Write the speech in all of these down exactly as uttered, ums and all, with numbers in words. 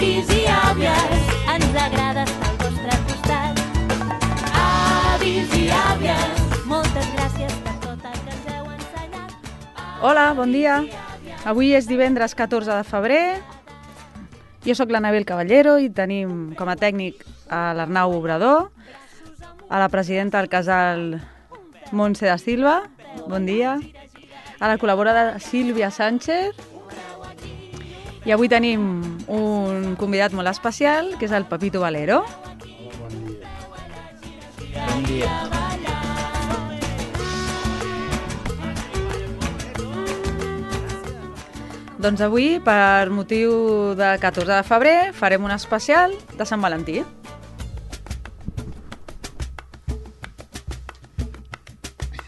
Avis i àvies, ens agrada estar al vostre costat. Avis i àvies, moltes gràcies per tot el que ens heu ensenyat. Hola, bon dia. Avui és divendres catorze de febrer. Jo sóc l'Anabel Caballero i tenim com a tècnic a l'Arnau Obrador, a la presidenta del casal Montse da Silva, bon dia, a la col·laboradora Sílvia Sánchez, i avui tenim un convidat molt especial, que és el Pepito Valero. Bon dia. Bon dia. Doncs avui, per motiu de catorze de febrer, farem un especial de Sant Valentí.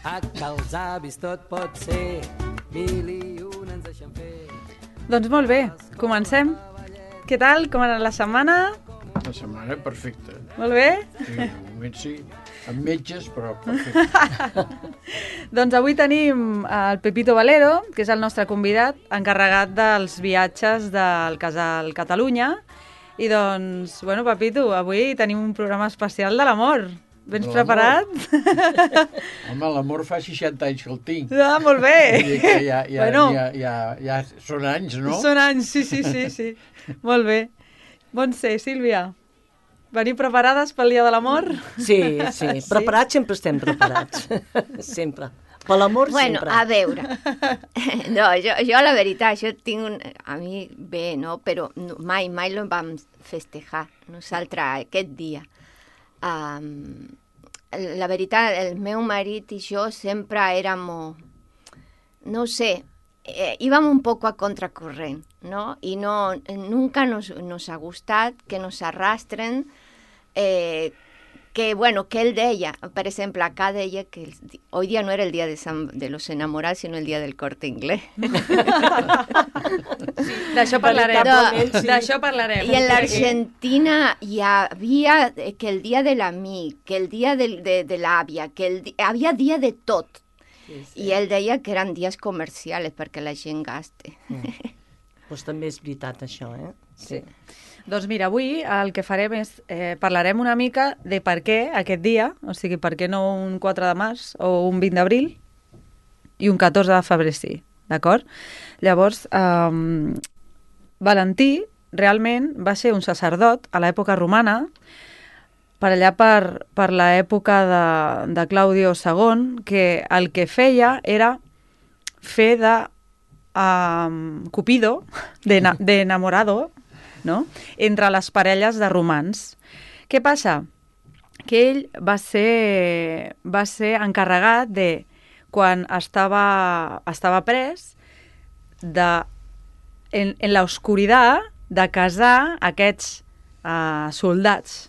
A que els avis tot pot ser, mil i un ens deixen fer. Doncs molt bé, comencem. Què tal? Com ha anat la setmana? La setmana perfecta. Molt bé? Sí, de moment sí, amb metges, però perfecte. Doncs avui tenim el Pepito Valero, que és el nostre convidat, encarregat dels viatges del casal Catalunya. I doncs, bueno, Pepito, avui tenim un programa especial de l'amor. Vens preparat? Home, l'amor fa seixanta anys que el tinc. Ah, molt bé. Vull dir que ja, ja, Bueno. ja, ja, ja són anys, no? Són anys, sí, sí, sí, sí. Molt bé. Montse, Sílvia, veniu preparades pel dia de l'amor? Sí, sí, preparats sempre estem preparats, sempre. Per l'amor bueno, sempre. a veure, no, jo, jo la veritat, jo tinc un... A mi bé, no? Però no, mai, mai lo vam festejar, nosaltres, aquest dia. Um, la veritat, el meu marit i jo sempre érem, no sé, eh, íbam un poco a contracorrent, ¿no? Y no, nunca nos, nos ha gustat que nos arrastren, eh, que, bueno, que él deia, per exemple, acá deia que el, hoy día no era el día de, San, de los enamorados, sino el día del Corte Inglés. D'això parlarem. No, D'això parlarem. I en l'Argentina hi havia que el dia de l'amic, que el dia de, de, de l'àvia, que el, havia dia de tot. Sí, sí. I ell deia que eren dies comercials perquè la gent gaste. Mm. Pues també és veritat això, eh? Sí. Doncs mira, avui el que farem és, eh, parlarem una mica de per què aquest dia, o sigui, per què no un quatre de març o un vint d'abril i un catorze de febrer sí, d'acord? Llavors, eh, Valentí realment va ser un sacerdot a l'època romana, per allà per, per l'època de, de Claudio segon, que el que feia era fer de um, Cupido, d'enamorado, de, no? Entre les parelles de romans. Què passa? Que ell va ser, va ser encarregat de, quan estava, estava pres, de, en, en l'oscuritat, de casar aquests uh, soldats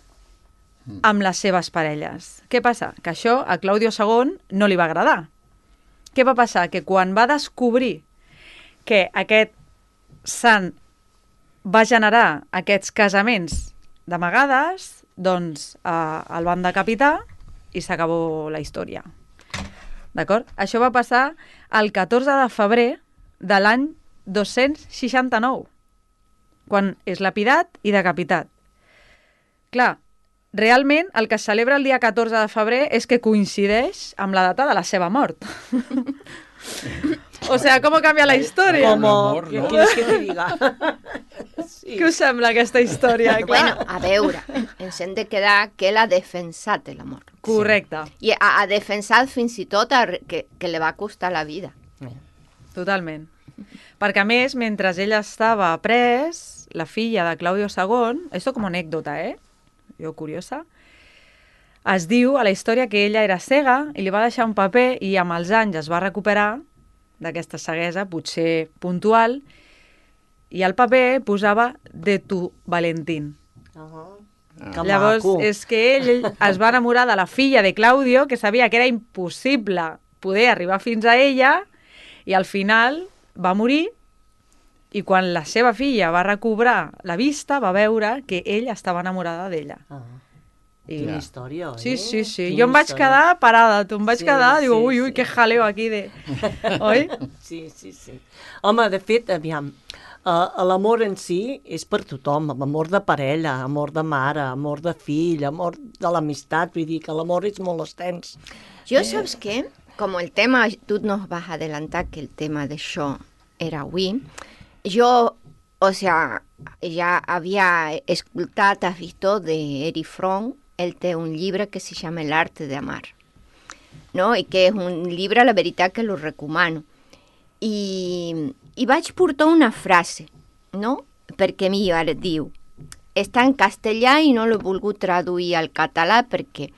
amb les seves parelles. Què passa? Que això a Claudio segon no li va agradar. Què va passar? Que quan va descobrir que aquest sant va generar aquests casaments d'amagades, doncs eh, el van decapitar i s'acabó la història. D'acord? Això va passar el catorze de febrer de l'any dos-cents seixanta-nou, quan és lapidat i decapitat. Clar, realment el que es celebra el dia catorze de febrer és que coincideix amb la data de la seva mort. O sea, com canvia la història? Com, Amor, no? no? Quieres que te diga? Sí. Què us sembla aquesta història? Bueno, a veure, ens hem de quedar que ell ha defensat l'amor. Correcte, I ha, ha defensat fins i tot a, que, que li va costar la vida. totalment. Perquè a més, mentre ell estava pres, la filla de Claudio segon, això com a anècdota, eh? Jo curiosa, es diu a la història que ella era cega i li va deixar un paper i amb els anys es va recuperar d'aquesta ceguesa, potser puntual, i al paper posava de tu, Valentín. Uh-huh. Ah. Llavors, maco. és que ell, ell es va enamorar de la filla de Claudio, que sabia que era impossible poder arribar fins a ella, i al final va morir, i quan la seva filla va recobrar la vista, va veure que ell estava enamorada d'ella. Ah. I... Quina història, oi? Sí, sí, sí. Quina Jo em vaig història. quedar parada, tu em vaig Sí, quedar, digo, sí, ui, ui, sí. que jaleo aquí de... Oi? Sí, sí, sí. Home, de fet, aviam, Uh, L'amor en si és per tothom, amor de parella, amor de mare, amor de fill, amor de l'amistat, vull dir que l'amor és molt extens. Yo, ¿sabes qué? Como el tema, tú nos vas a adelantar que el tema de show era avui, yo, o sea, ja havia escoltat, has visto, de Erich Fromm, ell té un llibre que se llama El arte de amar, no? I que és un llibre, la veritat, que lo recomano. I, i vaig portar una frase, no? Perquè mi ara diu, està en castellà i no l'he volgut traduir al català perquè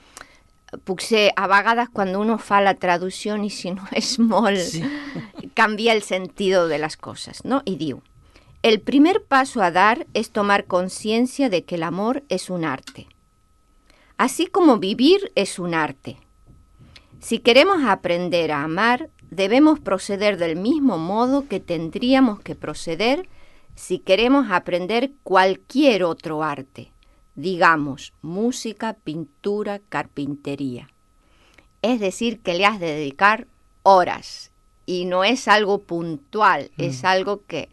potser a vegades quan uno fa la traducció i si no és molt, sí. Canvia el sentido de las cosas, ¿no? Y diu, el primer paso a dar es tomar conciencia de que el amor es un arte. Así como vivir es un arte. Si queremos aprender a amar, debemos proceder del mismo modo que tendríamos que proceder si queremos aprender cualquier otro arte, digamos, música, pintura, carpintería. Es decir, que le has de dedicar horas y no es algo puntual, mm. es algo que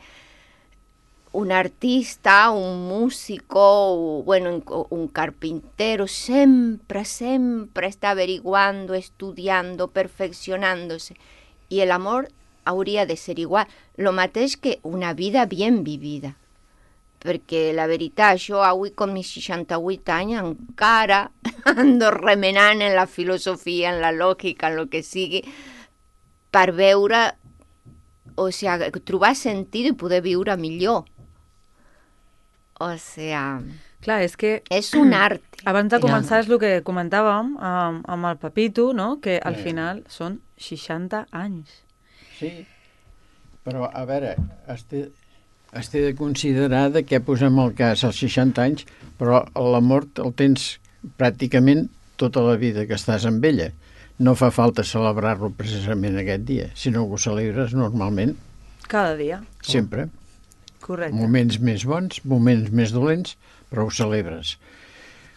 un artista, un músico, bueno, un carpintero sempre, sempre està averiguando, estudiando, perfeccionándose. I el amor hauria de ser igual. Lo mateix que una vida bien vivida. Perquè la veritat, jo avui con mis seixanta-vuit anys encara ando remenant en la filosofia, en la lògica, en lo que sigui, per veure, o sigui, trobar sentit i poder viure millor. O sea, clar, és que és un art. Abans de començar és el que comentàvem amb, amb el Pepito, no? Que al Sí. final són seixanta anys. Sí, però a veure, has de, has de considerar de què posem el cas als seixanta anys, però l'amor el tens pràcticament tota la vida que estàs amb ella. No fa falta celebrar-lo precisament aquest dia, sinó que ho celebres normalment, Cada dia. sempre. Correcte. Moments més bons, moments més dolents, però ho celebres.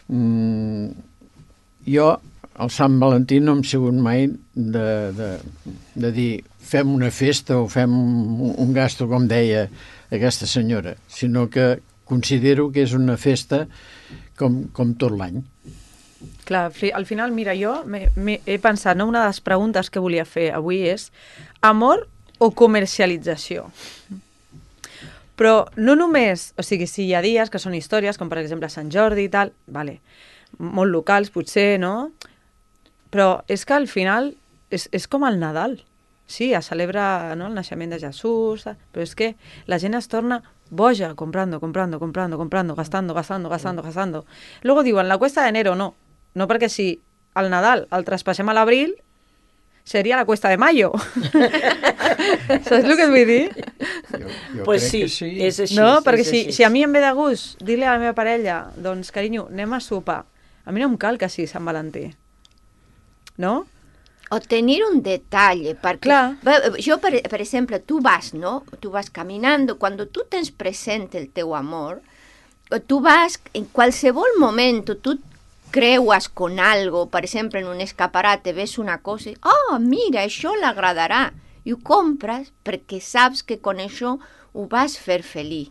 Mm, jo, el Sant Valentí, no hem sigut mai de, de, de dir fem una festa o fem un, un gasto, com deia aquesta senyora, sinó que considero que és una festa com, com tot l'any. Clar, al final, mira, jo me, me, he pensat, no? Una de les preguntes que volia fer avui és amor o comercialització? Però no només, o sigui, si hi ha dies que són històries, com per exemple Sant Jordi i tal, vale, molt locals potser, no? Però és que al final és, és com el Nadal. Sí, es celebra, no?, el naixement de Jesús, però és que la gent es torna boja comprando, comprando, comprando, comprando, gastando, gastando, gastando, gastando. Luego diuen la cuesta de enero, no. No, perquè si el Nadal el traspassem a l'abril, seria la cuesta de mayo. Saps el que et vull dir? Jo, jo Pues crec sí, que sí. és així. No, perquè és si, així. si a mi em ve de gust dir-li a la meva parella, doncs, carinyo, anem a sopar. A mi no em cal que sigui Sant Valentí. No? O tenir un detalle, perquè Clar. Bé, jo, per, per exemple, tu vas, no? Tu vas caminando, cuando tu tens present el teu amor, tu vas, en qualsevol moment, tu creues con algo, per exemple, en un escaparate, ves una cosa i, oh, mira, això l'agradarà, i ho compres perquè saps que con això ho vas fer feliç.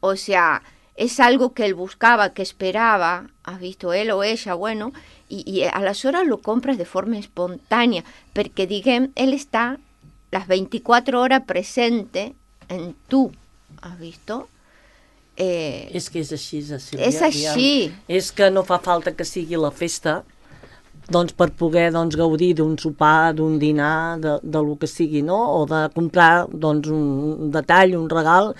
O sea, és algo que él buscaba, que esperaba, has visto él o ella, bueno, y, y aleshores lo compres de forma espontània, perquè, diguem, ell està les vint-i-quatre hores presente en tu, has visto? Eh, És que és així, Sílvia. és així. És que no fa falta que sigui la festa doncs, per poder doncs, gaudir d'un sopar, d'un dinar, de, de lo que sigui, no? O de comprar doncs, un detall, un regal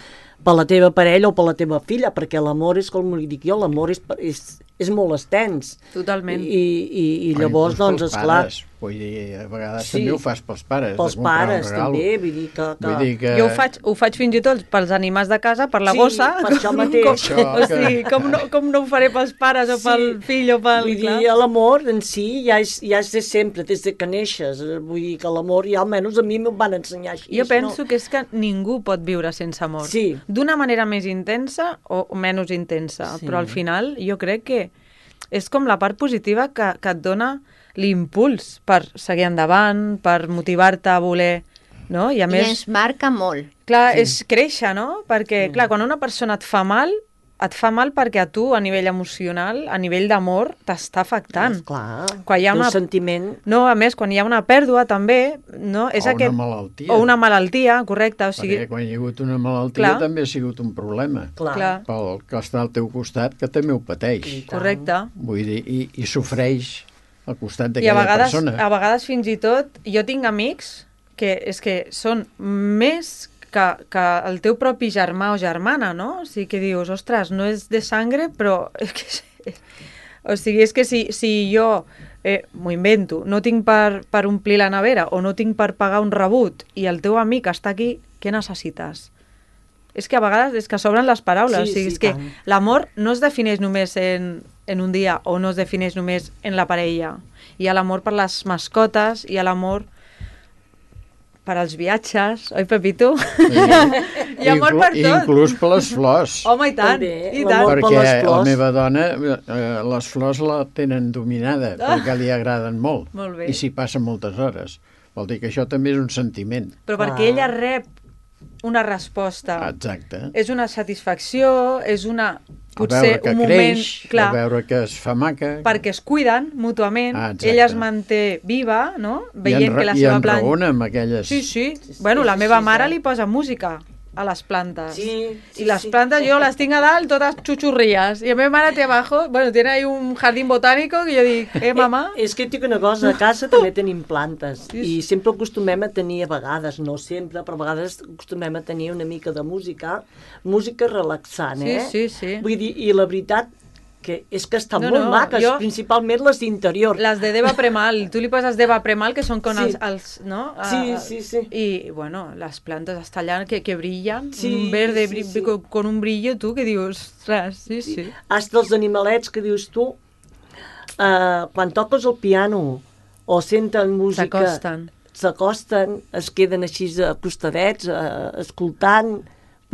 per la teva parella o per la teva filla, perquè l'amor és, com li dic jo, l'amor és, és, és molt extens. Totalment. I, i, i O llavors, inclús doncs, pels esclar... pares. Vull dir, a vegades Sí. també ho fas pels pares. Pels de comprar un pares, regal. també, vull dir que... que... Vull dir que... Jo ho faig, ho faig fins i tot pels animals de casa, per la Sí, gossa. per això com, mateix. Com, Això, o sigui, com, no, com no ho faré pels pares o Sí. pel fill o pel... Vull clar. dir, l'amor en si ja és, ja és de sempre, des de que neixes. Vull dir que l'amor, ja almenys a mi m'ho van ensenyar així. Jo penso que és que ningú pot viure sense amor. Sí. D'una manera més intensa o menys intensa, Sí. però al final jo crec que és com la part positiva que, que et dona l'impuls per seguir endavant, per motivar-te a voler... No? I a I més... ens marca molt. Clar, sí. és créixer, no? Perquè, Sí. clar, quan una persona et fa mal, et fa mal perquè a tu, a nivell emocional, a nivell d'amor, t'està afectant. Clar, Quan hi ha un una... sentiment... No, a més, quan hi ha una pèrdua, també, no? És O aquest... una malaltia. O una malaltia, correcte. O sigui... Perquè quan hi ha hagut una malaltia Clar. també ha sigut un problema. Clar, Clar. Pel que està al teu costat, que també ho pateix. I tant. Correcte. Vull dir, i, i sofreix al costat I a d'aquella vegades, persona. a vegades fins i tot, jo tinc amics que és que són més que, que el teu propi germà o germana, no? O sigui que dius, ostres, no és de sangre, però és que... O sigui, és que si, si jo eh, m'ho invento, no tinc per, per omplir la nevera o no tinc per pagar un rebut i el teu amic està aquí, què necessites? És que a vegades és que sobren les paraules. Sí, o sigui, sí, és que tant. l'amor no es defineix només en, en un dia o no es defineix només en la parella. Hi ha l'amor per les mascotes, hi ha l'amor per als viatges, oi, Pepito? Sí. Hi ha amor Inclu- per tot. Inclús per les flors. Home, i tant, També, i l'amor tant. per perquè les la flors. meva dona eh, les flors la tenen dominada Ah. perquè li agraden molt, Molt bé. i s'hi passa moltes hores. Vol dir que això també és un sentiment. Però Clar. perquè ella rep una resposta. Exacte. És una satisfacció, és una... A Potser veure que un moment... creix, clar, a veure que es fa maca. perquè es cuiden mútuament, Ah, exacte. ella es manté viva, no? I Veient enra- que la i seva planta... enraona amb aquelles... Sí, sí. sí, Bueno, la sí, meva sí, mare sí. li posa música a les plantes. Sí, sí, I les sí. plantes jo les tinc a dalt totes xuxurrillas. I la meva mare té abajo, bueno, tiene ahí un jardín botánico que jo dic, eh, mamà? Eh, és que et dic una cosa, a casa també tenim plantes Sí, i sempre acostumem a tenir, a vegades, no sempre, però a vegades acostumem a tenir una mica de música, música relaxant, Sí, eh? sí, sí. Vull dir, i la veritat que és que estan No, molt no, maques, jo- principalment les d'interior. Les de Deva Premal, tu li poses Deva Premal, que són con Sí. els, els, no? Sí, Ah, sí, sí. Y, bueno, las plantas hasta allá que, que brillan, Sí, un verde sí, bri- sí. Con, con un brillo, tu, que dius, ostres, sí, sí. Hasta els animalets que dius tu, eh, quan toques el piano o senten música... S'acosten. S'acosten, es queden així acostadets, eh, escoltant...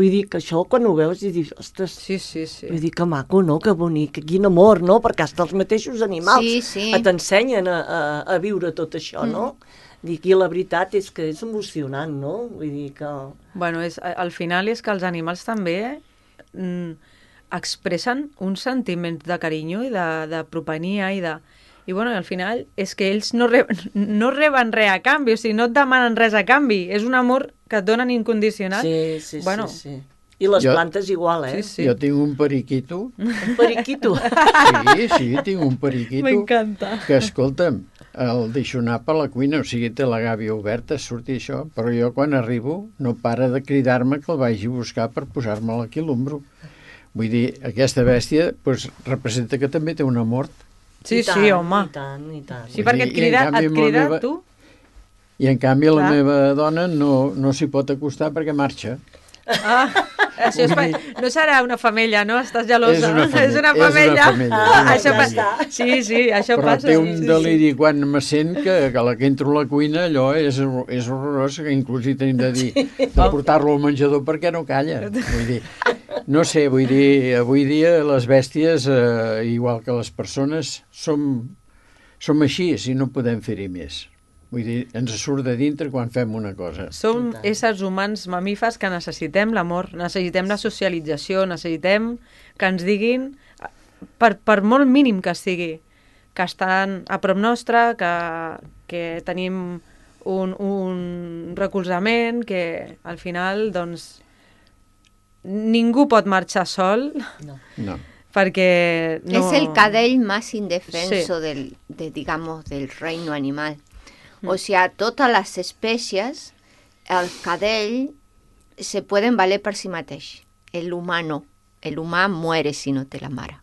Vull dir que això, quan ho veus, i dius, ostres, Sí, sí, sí. vull dir que maco, no?, que bonic, que quin amor, no?, perquè hasta els mateixos animals Sí, sí. t'ensenyen a, a, a viure tot això, no? Dic, i la veritat és que és emocionant, no? Vull dir que... Bueno, és, al final és que els animals també mm, expressen un sentiment de carinyo i de, de propenia i de... I bueno, al final és que ells no reben, no reben res a canvi, o sigui, no et demanen res a canvi, és un amor que et donen incondicional. Sí, sí, Bueno, sí, sí. I les Jo- plantes igual, eh? Sí, sí. Jo tinc un periquito, Un periquito. sí, sí, tinc un periquito, M'encanta. que, escolta'm, el deixo anar per la cuina, o sigui, té la gàbia oberta, surti això, però jo quan arribo no para de cridar-me que el vagi a buscar per posar-me'l aquí a l'ombro. Vull dir, aquesta bèstia pues, representa que també té una mort. Sí, I tant, sí, home. I tant, i tant. Sí, perquè et I- i en crida, canvi et amb la crida meva- tu. I en canvi la Clar. meva dona no, no s'hi pot acostar perquè marxa. Ah, això és, Vull fa- no serà una femella, no? Estàs gelosa. És una femella, És una és una femella. femella, Ah, és una això pa- femella. Sí, sí, això Però passa. té un sí, sí. deliri quan me sent que, que la que entro a la cuina allò és, és horrorós, que inclús hi tenim de dir de portar-lo al menjador perquè no calla. Vull dir, no sé, vull dir, avui dia les bèsties, eh, igual que les persones, som, som així, si no podem fer-hi més. Vull dir, ens surt de dintre quan fem una cosa. Som éssers humans mamífers que necessitem l'amor, necessitem la socialització, necessitem que ens diguin, per, per molt mínim que sigui, que estan a prop nostre, que, que tenim un, un recolzament, que al final, doncs, ningú pot marxar sol, No. perquè no... Es el cadell más indefenso Sí. del, de, digamos, del reino animal. O sea, todas las especies, el cadell se pueden valer per si mateix. El humano, el humà muere si no té la mare.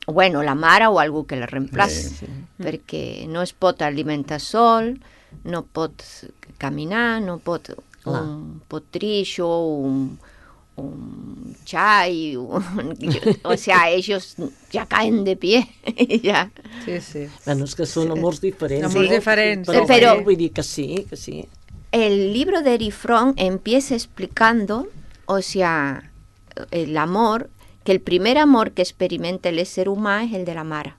Bueno, la mare o algú que la reemplaci, Sí, perquè no es pot alimentar sol, no pot caminar, no pot Clar. un potrillo, un, un chai, un- o sea, ellos ya caen de pie, ya. Sí, sí. Bueno, és que són amors diferents. Amors no? diferents, Però, sí. Però- vull dir que sí, que sí. El libro de Erifrón empieza explicando, o sea, el amor, que el primer amor que experimenta el ser humano es el de la mare.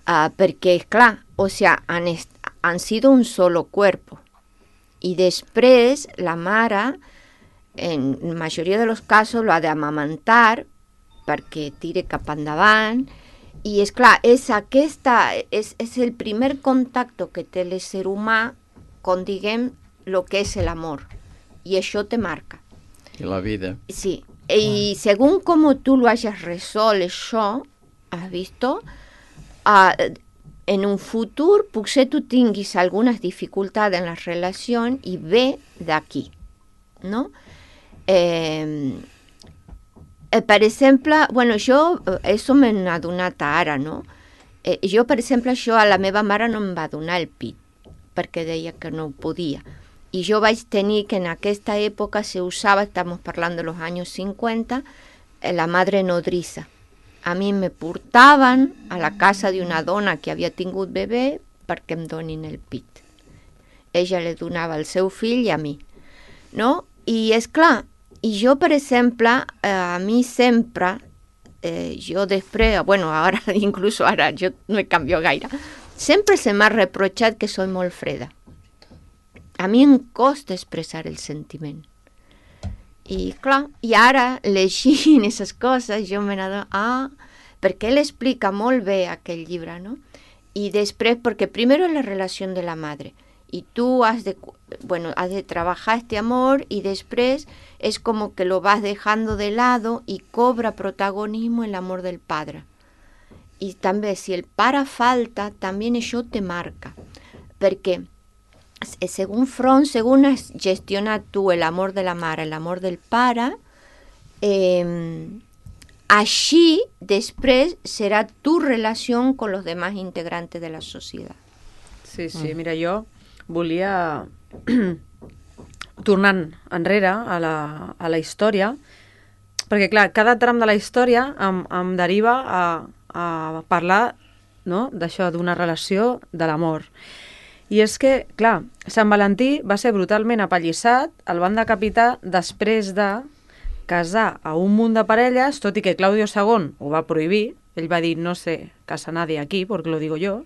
Ah, porque, claro, o sea, han, est- han sido un solo cuerpo. I després la mare, en la majoria dels casos, lo ha d'amamantar perquè tire cap endavant. I, és clar, és, aquesta, és, és el primer contacte que té l'ésser humà con, diguem, lo que és l'amor. I això te marca. I la vida. Sí. Y según como tú lo hayas resolto això, has visto, uh, en un futur potser tu tinguis algunes dificultats en la relació i ve d'aquí, no? Eh, eh, per exemple, bueno, jo, això me n'ha adonat ara, no? Eh, jo, per exemple, això a la meva mare no em va donar el pit, perquè deia que no podia. Y yo vais a tener que en aquesta época se usaba, estamos hablando de los años cincuenta, la madre nodriza. A mí me portaven a la casa d'una dona que havia tingut bebè perquè em donin el pit. Ella li donava al seu fill i a mi. No? I és clar, i jo, per exemple, eh, a mi sempre, eh, jo després, bueno, ara, incluso ara, jo no he canviat gaire, sempre se m'ha reprotxat que soy molt freda. A mi em costa expressar el sentiment. I clar, i ara, llegint aquestes coses, jo me n'adono, ah, perquè ell explica molt bé aquell llibre, no? I després, perquè primero es la relació de la madre, i tu has de, bueno, has de trabajar este amor, y després es como que lo vas dejando de lado y cobra protagonismo el amor del padre. Y també, si el pare falta, també això te marca, perquè según Fromm, según has gestionat tu el amor de la mare, el amor del pare, eh, així després serà tu relació con los demás integrantes de la societat. Sí, sí, mira, jo volia, tornant enrere a la, a la història, perquè clar, cada tram de la història em, em deriva a, a parlar, no?, d'això, d'una relació de l'amor. I és que, clar, Sant Valentí va ser brutalment apallissat, el van decapitar després de casar a un munt de parelles, tot i que Claudio segon ho va prohibir, ell va dir no sé casa nadie aquí, porque lo digo yo,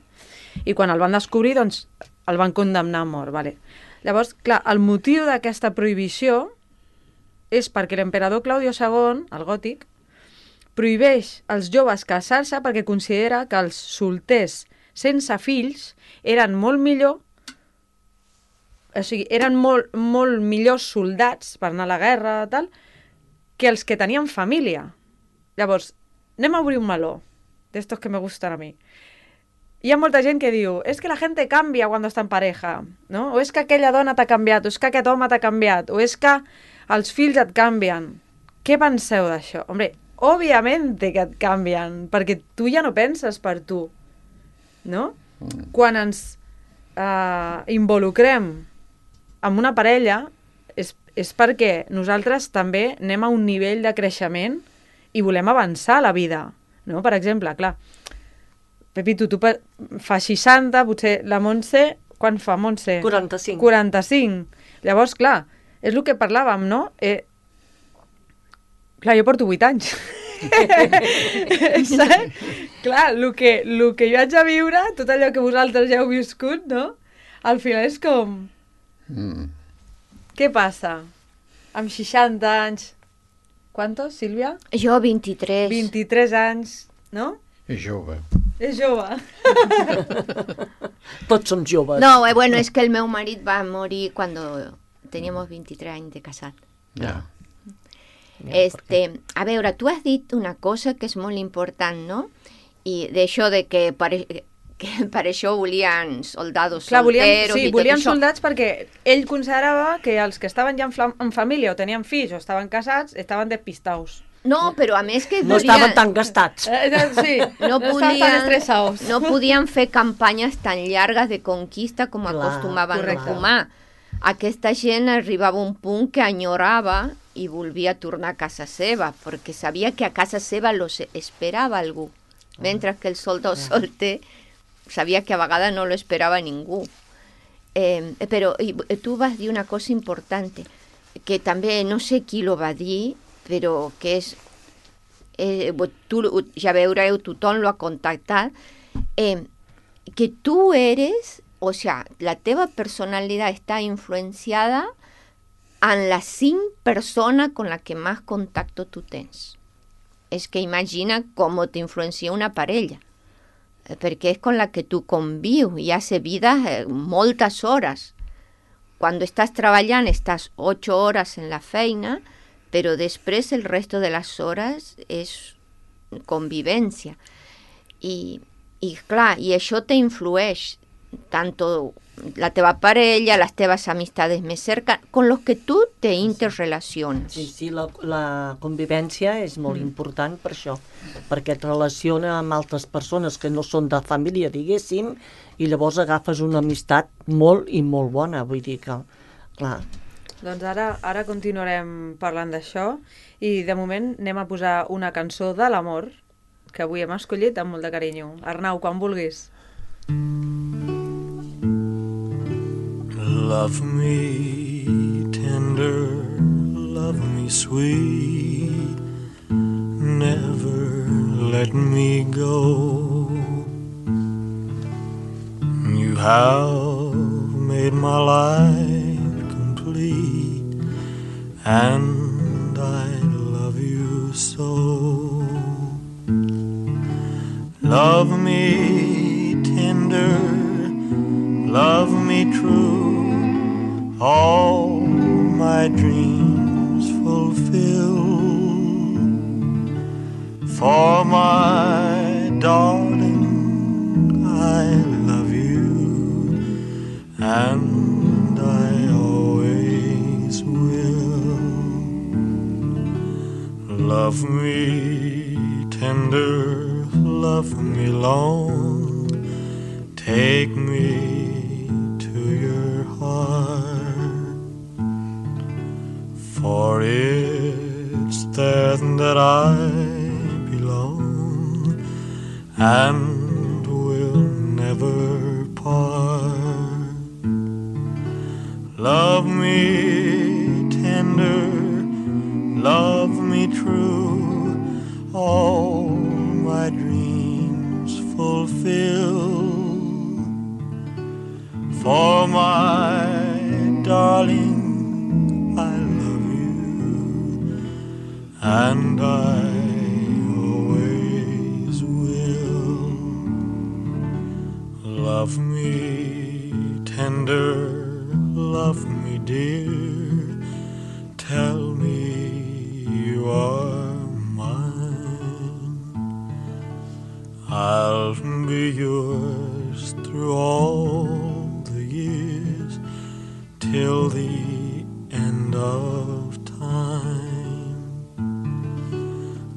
i quan el van descobrir, doncs, el van condemnar a mort, vale. Llavors, clar, el motiu d'aquesta prohibició és perquè l'emperador Claudio segon, el gòtic, prohibeix als joves casar-se perquè considera que els solters sense fills eren molt millor, o sigui, eren molt, molt millors soldats per anar a la guerra, tal, que els que tenien família. Llavors, anem a obrir un meló, d'estos que me gustan a mi. Hi ha molta gent que diu, és que la gente cambia cuando está en pareja, no? O és que aquella dona t'ha canviat, o és que aquest home t'ha canviat, o és que els fills et canvien. Què penseu d'això? Hombre, òbviamente que et canvien, perquè tu ja no penses per tu, no? Quan ens eh, involucrem amb una parella és, és perquè nosaltres també anem a un nivell de creixement i volem avançar a la vida, no? Per exemple, clar, Pepito, tu per, fa seixanta, potser la Montse, quan fa Montse? quaranta-cinc. quaranta-cinc. Llavors, clar, és el que parlàvem, no? Eh, clar, jo porto vuit anys. Saps? Clar, el que, el que jo haig de viure, tot allò que vosaltres ja heu viscut, no? Al final és com... Mm. Què passa? Amb seixanta anys... Quantos, Sílvia? Jo, vint-i-tres. vint-i-tres anys, no? És jove. És jove. Tots som joves. No, eh, bueno, és que el meu marit va morir quan teníamos vint-i-tres anys de casat. Ja. Este, a veure, tu has dit una cosa que és molt important, no? I d'això de que per, que per això volien soldados Clar, volien, solteros sí, i tot volien això. soldats perquè ell considerava que els que estaven ja en, fla- en família o tenien fills o estaven casats estaven despistaus. No, però a més que No volien, estaven tan gastats. Eh, eh, sí, no, estaven tan podien, estressados. no podien fer campanyes tan llargues de conquista com Clar, acostumaven correcte. a fumar. Aquesta gent arribava a un punt que enyorava i volia tornar a casa seva, perquè sabia que a casa seva los esperava algú, mentre que el soldado solter sabia que a vegades no lo esperava ningú. Eh, però i, tu vas dir una cosa important, que també no sé qui lo va dir, però que és, eh, tu, ja veureu, tothom lo ha contactat, eh, que tu eres o sea, la teva personalidad está influenciada en las cinc persones con las que más contacto tu tens. És que imagina com t'influencia una parella, perquè és con la que tu convius i has vida eh, moltes hores. Quan estàs treballant estàs ocho hores en la feina, però després el resto de les hores és convivència. I, i clar, i això t'influeix tanto la teva parella, les teves amistades més cercanes, con los que tu te interrelaciones. Sí, sí, la, la convivència és molt mm. important per això, perquè et relaciona amb altres persones que no són de família, diguéssim, i llavors agafes una amistat molt i molt bona, vull dir que, clar. Doncs ara, ara continuarem parlant d'això i de moment anem a posar una cançó de l'amor que avui hem escollit amb molt de carinyo. Arnau, quan vulguis. Love me tender, love me sweet, never let me go. You have made my life complete, and I love you so. Love me tender, love me true, all my dreams fulfill. For my darling, I love you, and I always will. Love me tender, love me long, take me to your heart. For it's there that I belong and will never part. Love me tender, love me true, all my dreams fulfill. For my darling, and I always will. Love me tender, love me dear, tell me you are mine. I'll be yours through all the years, till the end of time.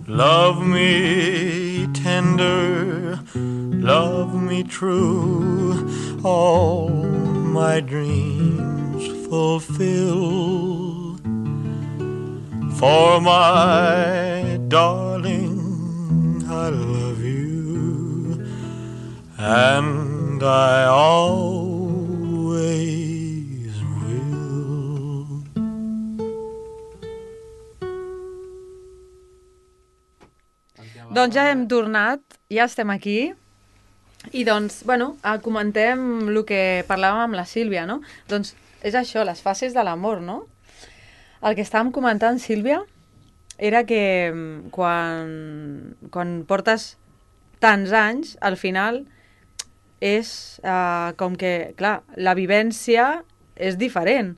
Love me tender, love me true, all my dreams fulfill. For my darling, I love you, and I always Doncs ja hem tornat, ja estem aquí, i doncs, bueno, comentem el que parlàvem amb la Sílvia, no? Doncs és això, les fases de l'amor, no? El que estàvem comentant, Sílvia, era que quan, quan portes tants anys, al final és eh, com que, clar, la vivència és diferent.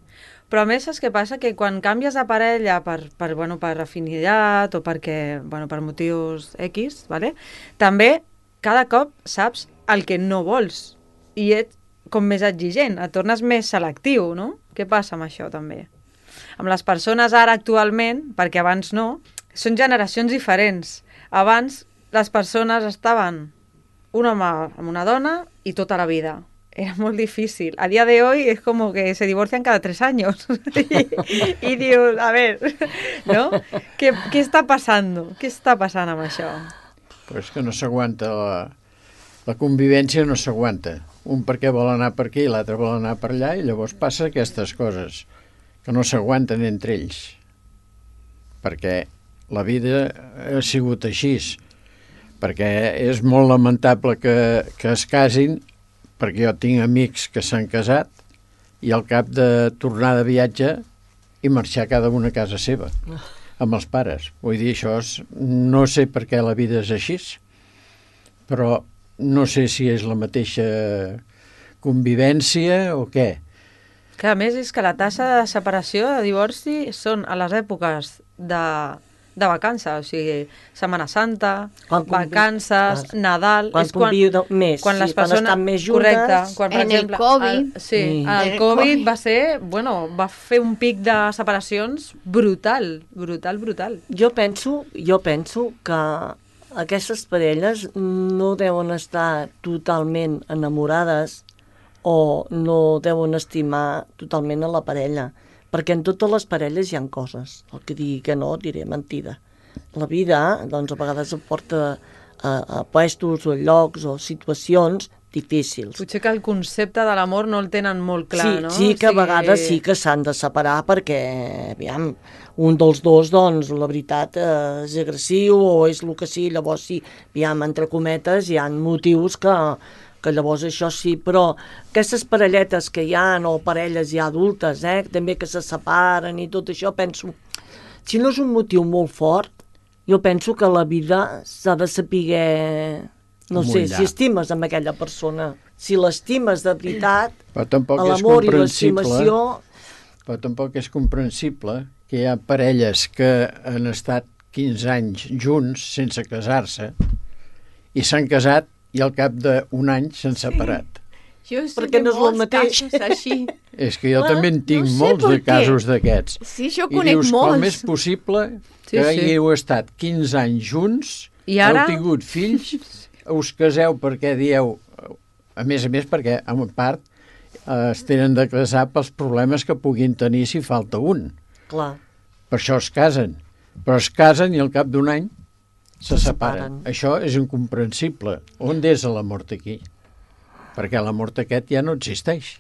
Però a més, saps què passa? Que quan canvies de parella per, per, bueno, per afinitat o perquè, bueno, per motius X, ¿vale? També cada cop saps el que no vols i ets com més exigent, et tornes més selectiu, no? Què passa amb això també? Amb les persones ara actualment, perquè abans no, són generacions diferents. Abans les persones estaven un home amb una dona i tota la vida. Era molt difícil. A día de hoy es como que se divorcian cada tres años. y, y dius, a ver, ¿no? ¿Qué, què està passant? Què està passant amb això? Pues que no s'aguanta la, la convivència, no s'aguanta. Un perquè vol anar per aquí i l'altre vol anar per allà i llavors passa aquestes coses que no s'aguanten entre ells. Perquè la vida ha sigut així. Perquè és molt lamentable que, que es casin perquè jo tinc amics que s'han casat i al cap de tornar de viatge i marxar cada una a casa seva, amb els pares. Vull dir, això és... No sé per què la vida és així, però no sé si és la mateixa convivència o què. Que a més és que la taxa de separació, de divorci, són a les èpoques de, de vacances, o sigui, Setmana Santa, Quan convi- vacances, Clar. Nadal... Quan és quan, conviu més, quan sí, les quan persones, estan més juntes. Correcte, quan, per En el exemple, Covid. El, sí, Sí. el, En el Covid Covid. va ser, bueno, va fer un pic de separacions brutal, brutal, brutal. Jo penso, jo penso que aquestes parelles no deuen estar totalment enamorades o no deuen estimar totalment a la parella, perquè en totes les parelles hi ha coses. El que digui que no, diré mentida. La vida, doncs, a vegades em porta a, a puestos o llocs o situacions difícils. Potser que el concepte de l'amor no el tenen molt clar, sí, no? sí que a vegades sí que s'han de separar perquè, aviam, un dels dos, doncs, la veritat, eh, és agressiu o és el que sí, llavors sí, aviam, entre cometes, hi ha motius que, que llavors això sí, però aquestes parelletes que hi ha, o parelles ja adultes, eh, també que se separen i tot això, penso, si no és un motiu molt fort, jo penso que la vida s'ha de saber... No sé, Mullar. si estimes amb aquella persona, si l'estimes de veritat, Però tampoc és l'amor i comprensible, l'estimació... però tampoc és comprensible que hi ha parelles que han estat quinze anys junts sense casar-se i s'han casat i al cap d'un any s'han separat. Jo sé Perquè de no és el molts mateix. casos així. És que jo Ah, també en tinc no sé molts per de què. casos d'aquests. Sí, jo I conec dius, molts. com és possible Sí, que sí. hagueu estat quinze anys junts, I ara? heu tingut fills, us caseu perquè dieu, a més a més perquè, a part, eh, es tenen de casar pels problemes que puguin tenir si falta un. Clar, Per això es casen. Però es casen i al cap d'un any se, Se separen. separen. Això és incomprensible. On és l'amor aquí? Perquè l'amor aquest ja no existeix.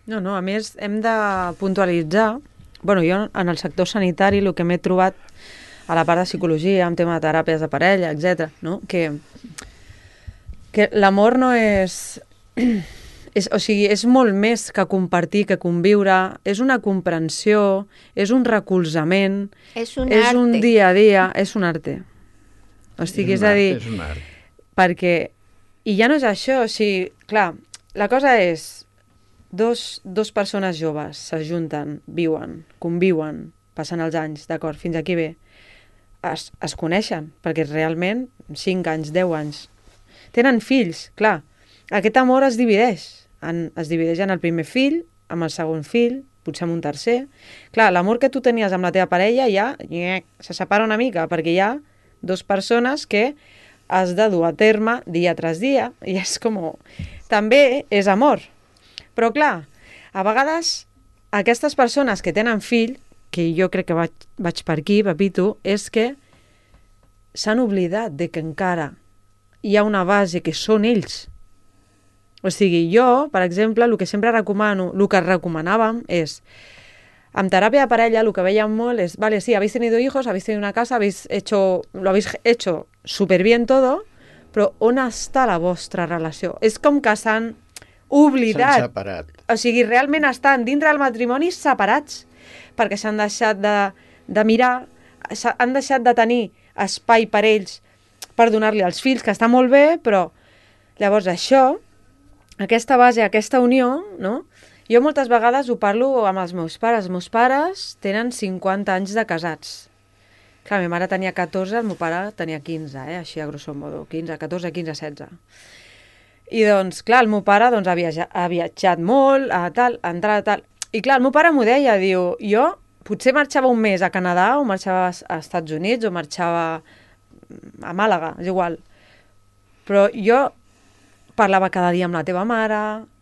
No, no, a més hem de puntualitzar, bueno, jo en el sector sanitari el que m'he trobat a la part de psicologia, en tema de teràpies de parella, etcètera, no? que, que l'amor no és, és... O sigui, és molt més que compartir, que conviure, és una comprensió, és un recolzament, És un és arte. un dia a dia, és un arte. O sigui, és, un a art, dir, És un art. perquè, i ja no és això, o sigui, clar, la cosa és, dos, dos persones joves s'ajunten, viuen, conviuen, passen els anys, d'acord, fins aquí bé, es, es coneixen, perquè realment, cinc anys, deu anys, tenen fills, clar, aquest amor es divideix, en, es divideix en el primer fill, amb el segon fill, potser amb un tercer. Clar, l'amor que tu tenies amb la teva parella ja nyec, se separa una mica, perquè hi ha dues persones que has de dur a terme dia tras dia, i és com... També és amor. Però clar, a vegades aquestes persones que tenen fill, que jo crec que vaig, vaig per aquí, Pepito, és que s'han oblidat de que encara hi ha una base que són ells. O sigui, jo, per exemple, el que sempre recomano, el que recomanàvem és, amb teràpia de parella, el que veiem molt és, vale, sí, habéis tenido hijos, habéis tenido una casa, habéis hecho, lo habéis hecho súper bien todo, però on està la vostra relació? És com que s'han S'han oblidat. separat. O sigui, realment estan dintre del matrimoni separats, perquè s'han deixat de, de mirar, s'ha- han deixat de tenir espai per ells per donar-li als fills, que està molt bé, però llavors això, aquesta base, aquesta unió, no? Jo moltes vegades ho parlo amb els meus pares. Els meus pares tenen cinquanta anys de casats. Clar, la meva mare tenia catorze, el meu pare tenia quinze, eh? Així a grosso modo, quinze, catorze, quinze, setze. I doncs, clar, el meu pare doncs, ha, viatjat, ha viatjat molt, a tal, a entrar, a tal. I clar, el meu pare m'ho deia, diu, jo potser marxava un mes a Canadà, o marxava a Estats Units, o marxava a Màlaga, és igual. Però jo parlava cada dia amb la teva mare,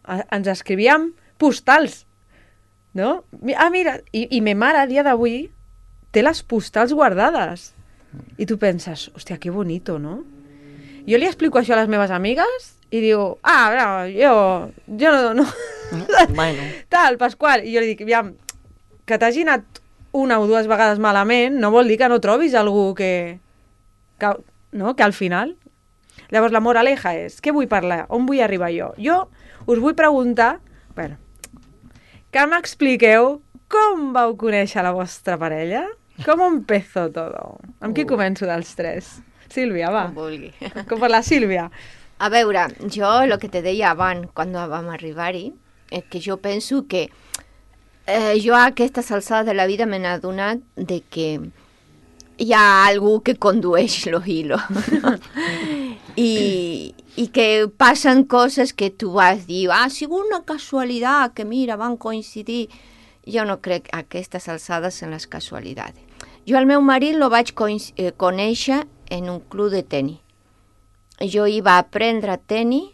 a- ens escrivíem postals, no? Mi- Ah, mira, i, i ma mare a dia d'avui té les postals guardades. I tu penses, hòstia, que bonito, no? Jo li explico això a les meves amigues i diu, ah, no, jo, jo no, no. bueno, Tal, Pasqual. I jo li dic, aviam, que t'hagi anat una o dues vegades malament no vol dir que no trobis algú que, que, no? que al final... Llavors, la moraleja és, què vull parlar? On vull arribar jo? Jo us vull preguntar, bueno, que m'expliqueu com vau conèixer la vostra parella? Com empezó todo? Amb qui començo dels tres? Sílvia, va. Com vulgui. Com per la Sílvia. A veure, jo el que te deia abans, quan vam arribar-hi, és que jo penso que eh, jo a aquestes alçades de la vida me n'he adonat de que hi ha algú que condueix los hilos. I, I que passen coses que tu vas dir, ah, ha sigut una casualitat, que mira, van coincidir. Jo no crec a aquestes alçades en les casualitats. Jo al meu marit lo vaig eh, conèixer en un club de tenis. Jo iba a aprendre tenis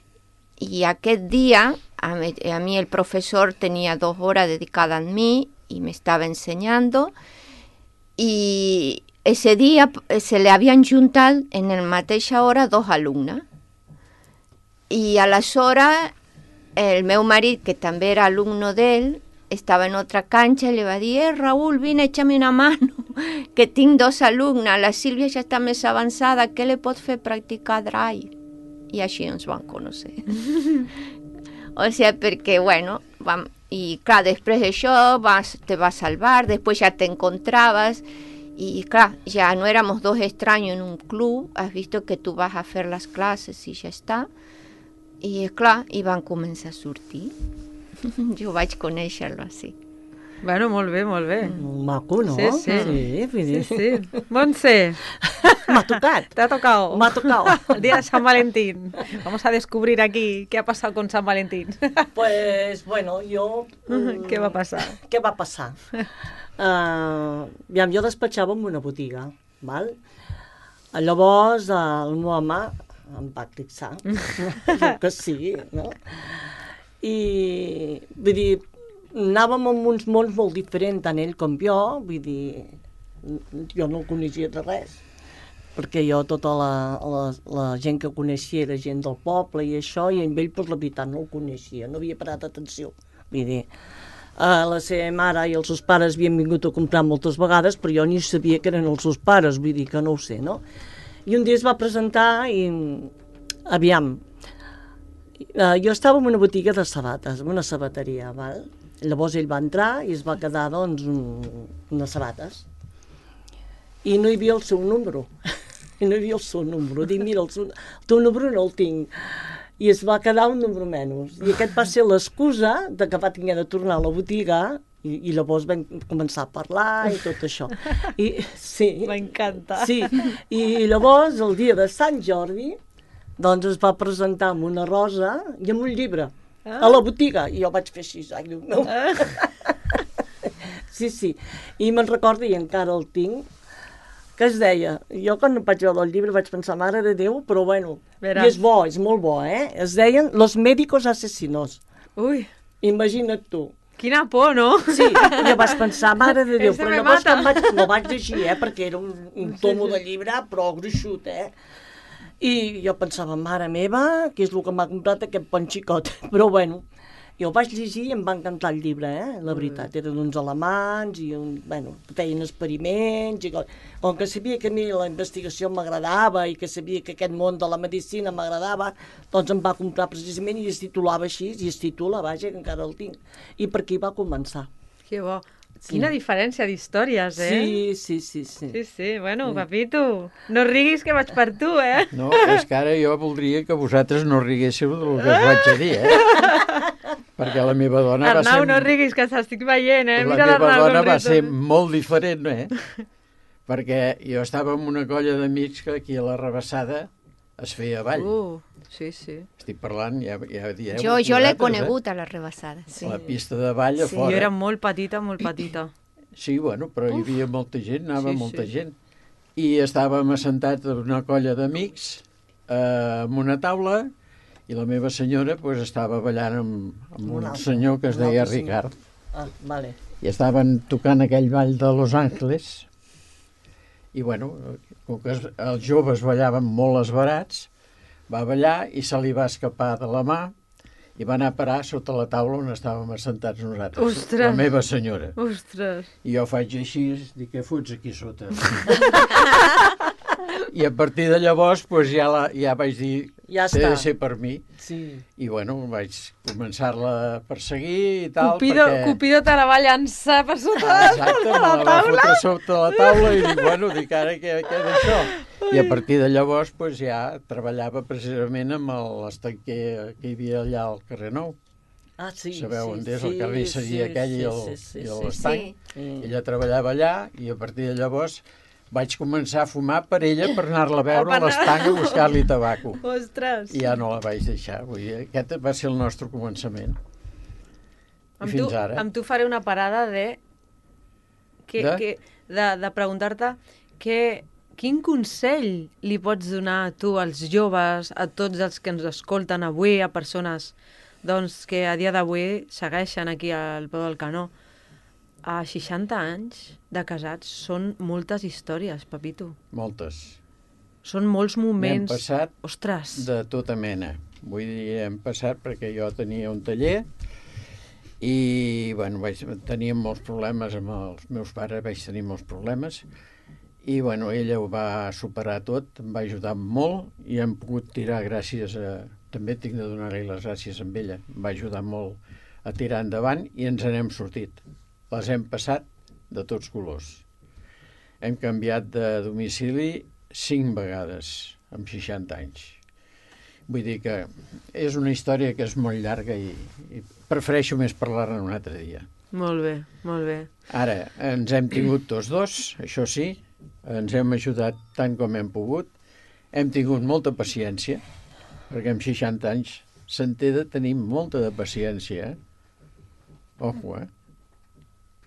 i aquest dia a mi, a mi el professor tenia dos hores dedicades a mi y me estaba enseñando y ese día se le habían juntado en la mateixa hora dos alumnes y aleshores el meu marit, que també era alumno d'ell, estava en otra cancha i li va dir, eh, Raúl, vine, échame una mano, que tinc dos alumnes, la Sílvia ja està més avançada, què li pot fer practicar drive? I així ens vam conèixer. O sigui, perquè, bueno, vam, i clar, després d'això vas, te va salvar, després ja te encontraves, i clar, ja no éramos dos extraños en un club, has visto que tu vas a fer les classes i ja està, i clar, i van començar a sortir. Jo vaig conèixer-lo així. Bueno, molt bé, molt bé. Maco, ¿no? Sí, sí. Sí, Sí, sí. Montse, m'ha tocat. te ha tocado. M'ha tocat. El día de San Valentín. Vamos a descubrir aquí qué ha pasado con San Valentín. Pues, bueno, jo... mm, Què va passar? Què va passar? Uh, aviam, jo despatxava en una botiga, val? Llavors, uh, el meu home em va clixar, que sí, no? I, vull dir, anàvem en uns mons molt diferents, tant ell com jo, vull dir, jo no el coneixia de res, perquè jo tota la, la, la gent que coneixia era gent del poble i això, i amb ell, pues, la veritat, no el coneixia, no havia parat atenció, vull dir, uh, la seva mare i els seus pares havien vingut a comprar moltes vegades, però jo ni sabia que eren els seus pares, vull dir que no ho sé, no? I un dia es va presentar i, aviam, uh, jo estava en una botiga de sabates, en una sabateria, val? Llavors ell va entrar i es va quedar, doncs, un, unes sabates. I no hi havia el seu número. I no hi havia el seu número. Dic, mira, el, seu, el teu número no el tinc. I es va quedar un número menys. I aquest va ser l'excusa de que va tenir de tornar a la botiga i, i llavors vam començar a parlar i tot això. I, sí. M'encanta. Sí. I llavors, el dia de Sant Jordi, doncs es va presentar amb una rosa i amb un llibre. Ah. A la botiga, i jo vaig fer així, ai, Déu meu. Ah. Sí, sí, i me'n recordo, i encara el tinc, que es deia, jo quan vaig veure el llibre vaig pensar, mare de Déu, però bueno, Veràs. I és bo, és molt bo, eh? Es deien Los médicos asesinos. Ui, Imagina't tu. quina por, no? Sí, jo vaig pensar, mare de Déu, Ese però me llavors mata. quan vaig, no vaig llegir, eh, perquè era un, un tomo de llibre, però gruixut, eh? I jo pensava, mare meva, què és el que m'ha comprat aquest bon xicot? Però bueno, jo vaig llegir i em va encantar el llibre, eh? La veritat, eren uns alemans i un, bueno, feien experiments i com, com que sabia que a mi la investigació m'agradava i que sabia que aquest món de la medicina m'agradava, doncs em va comprar precisament i es titulava així, i es titula, vaja, que encara el tinc. I per aquí va començar. Que bo. Sí. Quina diferència d'històries, eh? Sí, sí, sí, sí. Sí, sí, bueno, papito, no riguis que vaig per tu, eh? No, és que ara jo voldria que vosaltres no riguéssiu del que us vaig a dir, eh? Perquè la meva dona va Arnau, ser... no riguis, que t'estic veient, eh? La Mira meva l'Arnau dona com va riu. ser molt diferent, eh? Perquè jo estava amb una colla d'amics que aquí a la Rebassada es feia ball. Uh, sí, sí. Estic parlant, ja, ja dieu... Jo, jo l'he vosaltres, conegut a la rebassada. Eh? Sí. La pista de ball a Sí, fora. Jo era molt petita, molt petita. Sí, bueno, però hi havia molta gent, anava Sí, molta sí. gent. I estàvem assentats en una colla d'amics eh, amb una taula i la meva senyora pues, estava ballant amb, amb Un un altre, senyor que es un deia altre senyor. Ricard. Ah, vale. I estaven tocant aquell ball de Los Angeles i, bueno, com que es- els joves ballaven molt esbarats, va ballar i se li va escapar de la mà i va anar a parar sota la taula on estàvem assentats nosaltres. Ostres! La meva senyora. Ostres. I jo faig així, dic, què fots aquí sota? I a partir de llavors pues, ja, la, ja vaig dir Ja té està. de ser per mi. Sí. I bueno, vaig començar-la a perseguir i tal. Cupido, perquè... Cupido te la va llançar per sota Exacte, de me la la va taula. fotre sota la taula i dic, bueno, dic, ara què, què és això? I a partir de llavors pues, ja treballava precisament amb l'estanquer que hi havia allà al carrer Nou. Ah, sí, Sabeu sí, on és sí, el carnisseria sí, aquell i sí, el- sí, sí, i sí, l'estanc? sí. Ella treballava allà i a partir de llavors vaig començar a fumar per ella per anar-la a veure a l'estanc a buscar-li tabaco. Ostres. I ja no la vaig deixar. Vull dir, aquest va ser el nostre començament. I Amb fins tu, ara. amb tu faré una parada de... Que, De? que, de, de preguntar-te que, quin consell li pots donar tu als joves, a tots els que ens escolten avui, a persones doncs, que a dia d'avui segueixen aquí al peu del canó. A seixanta anys de casats són moltes històries, Pepito. Moltes. Són molts moments... N'hem passat Ostres! de tota mena. Vull dir, hem passat perquè jo tenia un taller i, bueno, vaig, teníem molts problemes amb els meus pares, vaig tenir molts problemes i, bueno, ella ho va superar tot, em va ajudar molt i hem pogut tirar gràcies a... També tinc de donar-li les gràcies amb ella. Em va ajudar molt a tirar endavant i ens n'hem sortit. Les hem passat de tots colors. Hem canviat de domicili cinc vegades en seixanta anys. Vull dir que és una història que és molt llarga i, i prefereixo més parlar-ne un altre dia. Molt bé, molt bé. Ara, ens hem tingut tots dos, això sí, ens hem ajudat tant com hem pogut, hem tingut molta paciència, perquè amb seixanta anys se'n té de tenir molta de paciència, eh? Ojo, eh?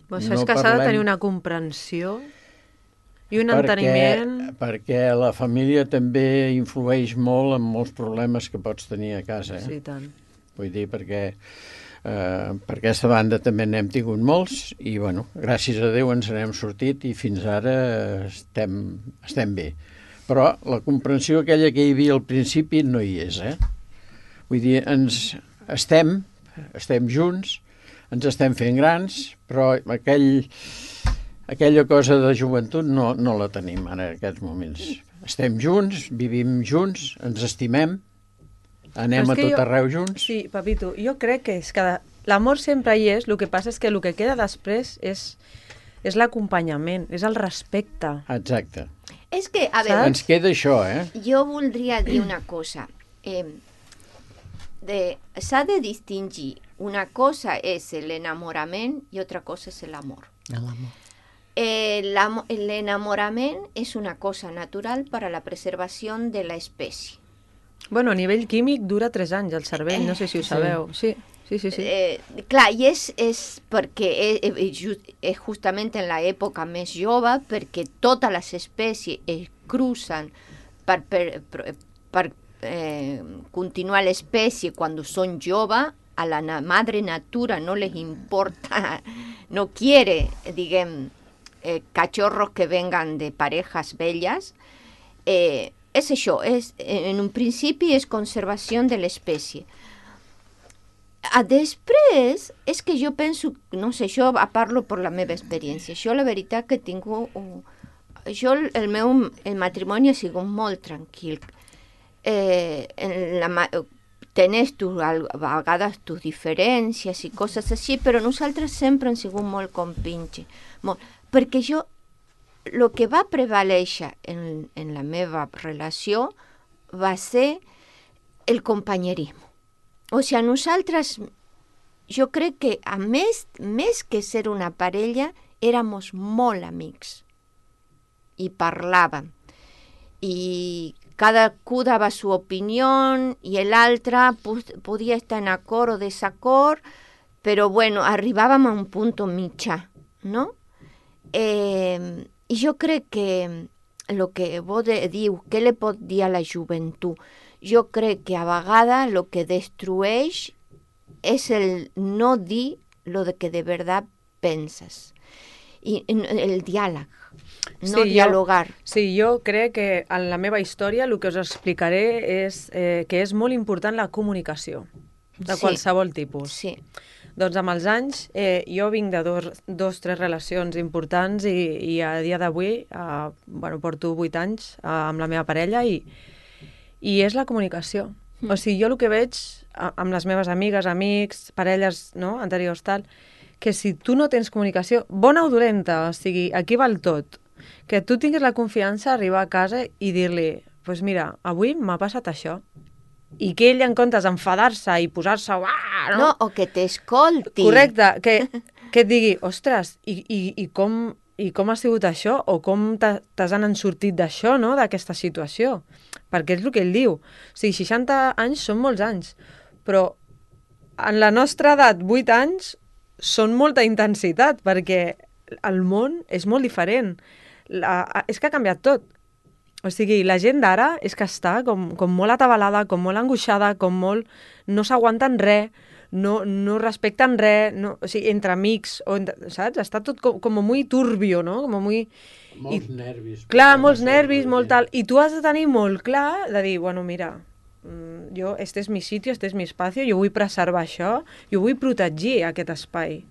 Però això No és que s'ha de parlem- tenir una comprensió i un perquè, enteniment... perquè la família també influeix molt en molts problemes que pots tenir a casa. Eh? Sí, tant. Vull dir, perquè eh, per aquesta banda també n'hem tingut molts i, bueno, gràcies a Déu ens n'hem sortit i fins ara estem, estem bé. Però la comprensió aquella que hi havia al principi no hi és, eh? Vull dir, ens estem, estem junts, ens estem fent grans, però aquell... Aquella cosa de joventut no, no la tenim ara en aquests moments. Estem junts, vivim junts, ens estimem, anem Però és a que tot jo- arreu junts. Sí, Papito, jo crec que és que l'amor sempre hi és, el que passa és que el que queda després és, és l'acompanyament, és el respecte. Exacte. És que, a Saps? veure, Ens queda això, eh? jo voldria dir una cosa. Eh, de, s'ha de distingir. Una cosa és l'enamorament i altra cosa és l'amor. L'amor. El, amo- el enamorament és una cosa natural per a la preservació de la espècie. Bueno, a nivell químic dura tres anys el cervell, no sé si ho sabeu. Sí, sí, sí. sí. Eh, clar, i és, és perquè és, és, just- és justament en l'època més jove, perquè totes les espècies es crucen per, per, per, per eh, continuar l'espècie quan són joves, a la na- madre natura no les importa, no quiere, diguem, eh, cachorros que vengan de parejas bellas. Eh, és això, és, en un principi és conservació de l'espècie. A després, és que jo penso, no sé, jo parlo per la meva experiència. Jo la veritat que tinc... Un, jo, el meu el matrimoni ha sigut molt tranquil. Eh, en la, ma- tenés tu, a vegades tus diferències i coses així, però nosaltres sempre hem sigut molt compinxi. Molt, perquè jo, el que va prevalèixer en, en la meva relació va ser el companyerisme. O sigui, nosaltres, jo crec que a més, més que ser una parella, éramos molt amics i parlàvem. I cadascú dava su opinió i l'altre podia estar en acord o desacord, però bueno, arribàvem a un punt mitjà, no? Eh, I jo crec que el que vos de, diu, què li pot dir a la joventut? Jo crec que a vegades el que destrueix és el no dir lo de que de verdad penses. I el diàleg, no Sí, dialogar. Jo, sí, jo crec que en la meva història el que us explicaré és eh, que és molt important la comunicació, de Sí. qualsevol tipus. Sí. Doncs amb els anys, eh, jo vinc de dos, dos, tres relacions importants i, i a dia d'avui, eh, bueno, porto vuit anys eh, amb la meva parella i, i és la comunicació. Mm. O sigui, jo el que veig a, amb les meves amigues, amics, parelles, no?, anteriors, tal, que si tu no tens comunicació, bona o dolenta, o sigui, aquí val tot, que tu tinguis la confiança d'arribar a casa i dir-li, doncs pues mira, avui m'ha passat això, i que ell, en comptes d'enfadar-se i posar-se... No? no, o que t'escolti. Correcte, que, que et digui, ostres, i, i, i, com, i com ha sigut això? O com t'has anat sortit d'això, no?, d'aquesta situació? Perquè és el que ell diu. O sigui, seixanta anys són molts anys, però en la nostra edat, vuit anys, són molta intensitat, perquè el món és molt diferent. La, és que ha canviat tot. O sigui, la gent d'ara és que està com, com molt atabalada, com molt angoixada, com molt... no s'aguanten res, no, no respecten res, no, o sigui, entre amics, o entre, saps? Està tot com, com molt turbio, no? Com muy... Molts I, nervis. Clar, molts nervis, molt tal. I tu has de tenir molt clar de dir, bueno, mira, jo, este és mi sitio, este és mi espacio, jo vull preservar això, jo vull protegir aquest espai.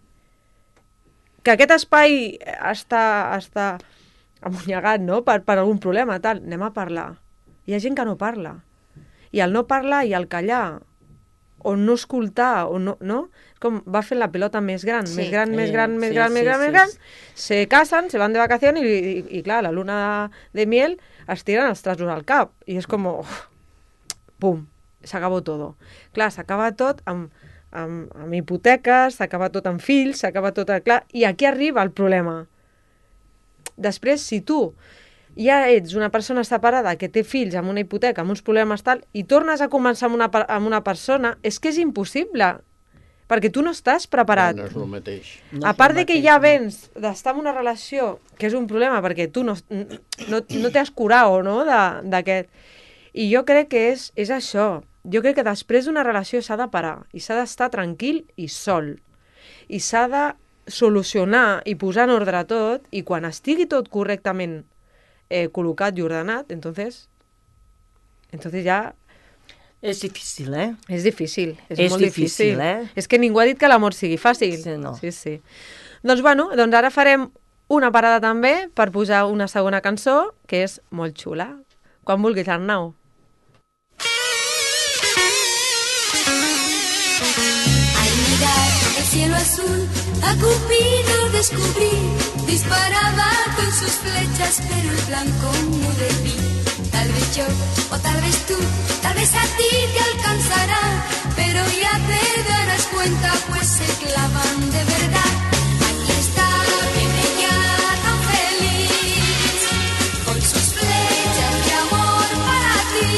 Que aquest espai està... està amunyegat, no?, per, per algun problema, tal, anem a parlar. Hi ha gent que no parla. I el no parlar i el callar, o no escoltar, o no, no? Com va fent la pelota més gran, Sí. més gran, més Eh, gran, més sí, gran, sí, més gran, sí, més gran, sí. se casen, se van de vacaciones i, i, i clar, la luna de miel es tiren els traços al cap. I és com, oh, pum, s'acabó todo. Clar, s'acaba tot amb, amb, amb hipoteques, s'acaba tot amb fills, s'acaba tot... Clar, i aquí arriba el problema. Després, si tu ja ets una persona separada que té fills amb una hipoteca, amb uns problemes tal, i tornes a començar amb una, amb una persona, és que és impossible, perquè tu no estàs preparat. No és el mateix. No A és part el de que mateix, ja no. vens d'estar en una relació, que és un problema, perquè tu no, no, no t'has curat, no?, d'aquest. I jo crec que és, és això. Jo crec que després d'una relació s'ha de parar, i s'ha d'estar tranquil i sol. I s'ha de solucionar i posar en ordre tot, i quan estigui tot correctament eh, col·locat i ordenat, entonces, entonces ja És difícil, eh? és difícil, és, És molt difícil, difícil. eh? És que ningú ha dit que l'amor sigui fàcil. Sí, no. Sí, sí. Doncs bueno, doncs ara farem una parada també per posar una segona cançó, que és molt xula. Quan vulguis, Arnau. Al mirar el cielo azul, a Cupido descubrí, disparaba con sus flechas, pero el blanco no debí. Tal vez yo, o tal vez tú, tal vez a ti te alcanzará, pero ya te darás cuenta, pues se clavan de verdad. Aquí está, viene ya tan feliz, con sus flechas de amor para ti,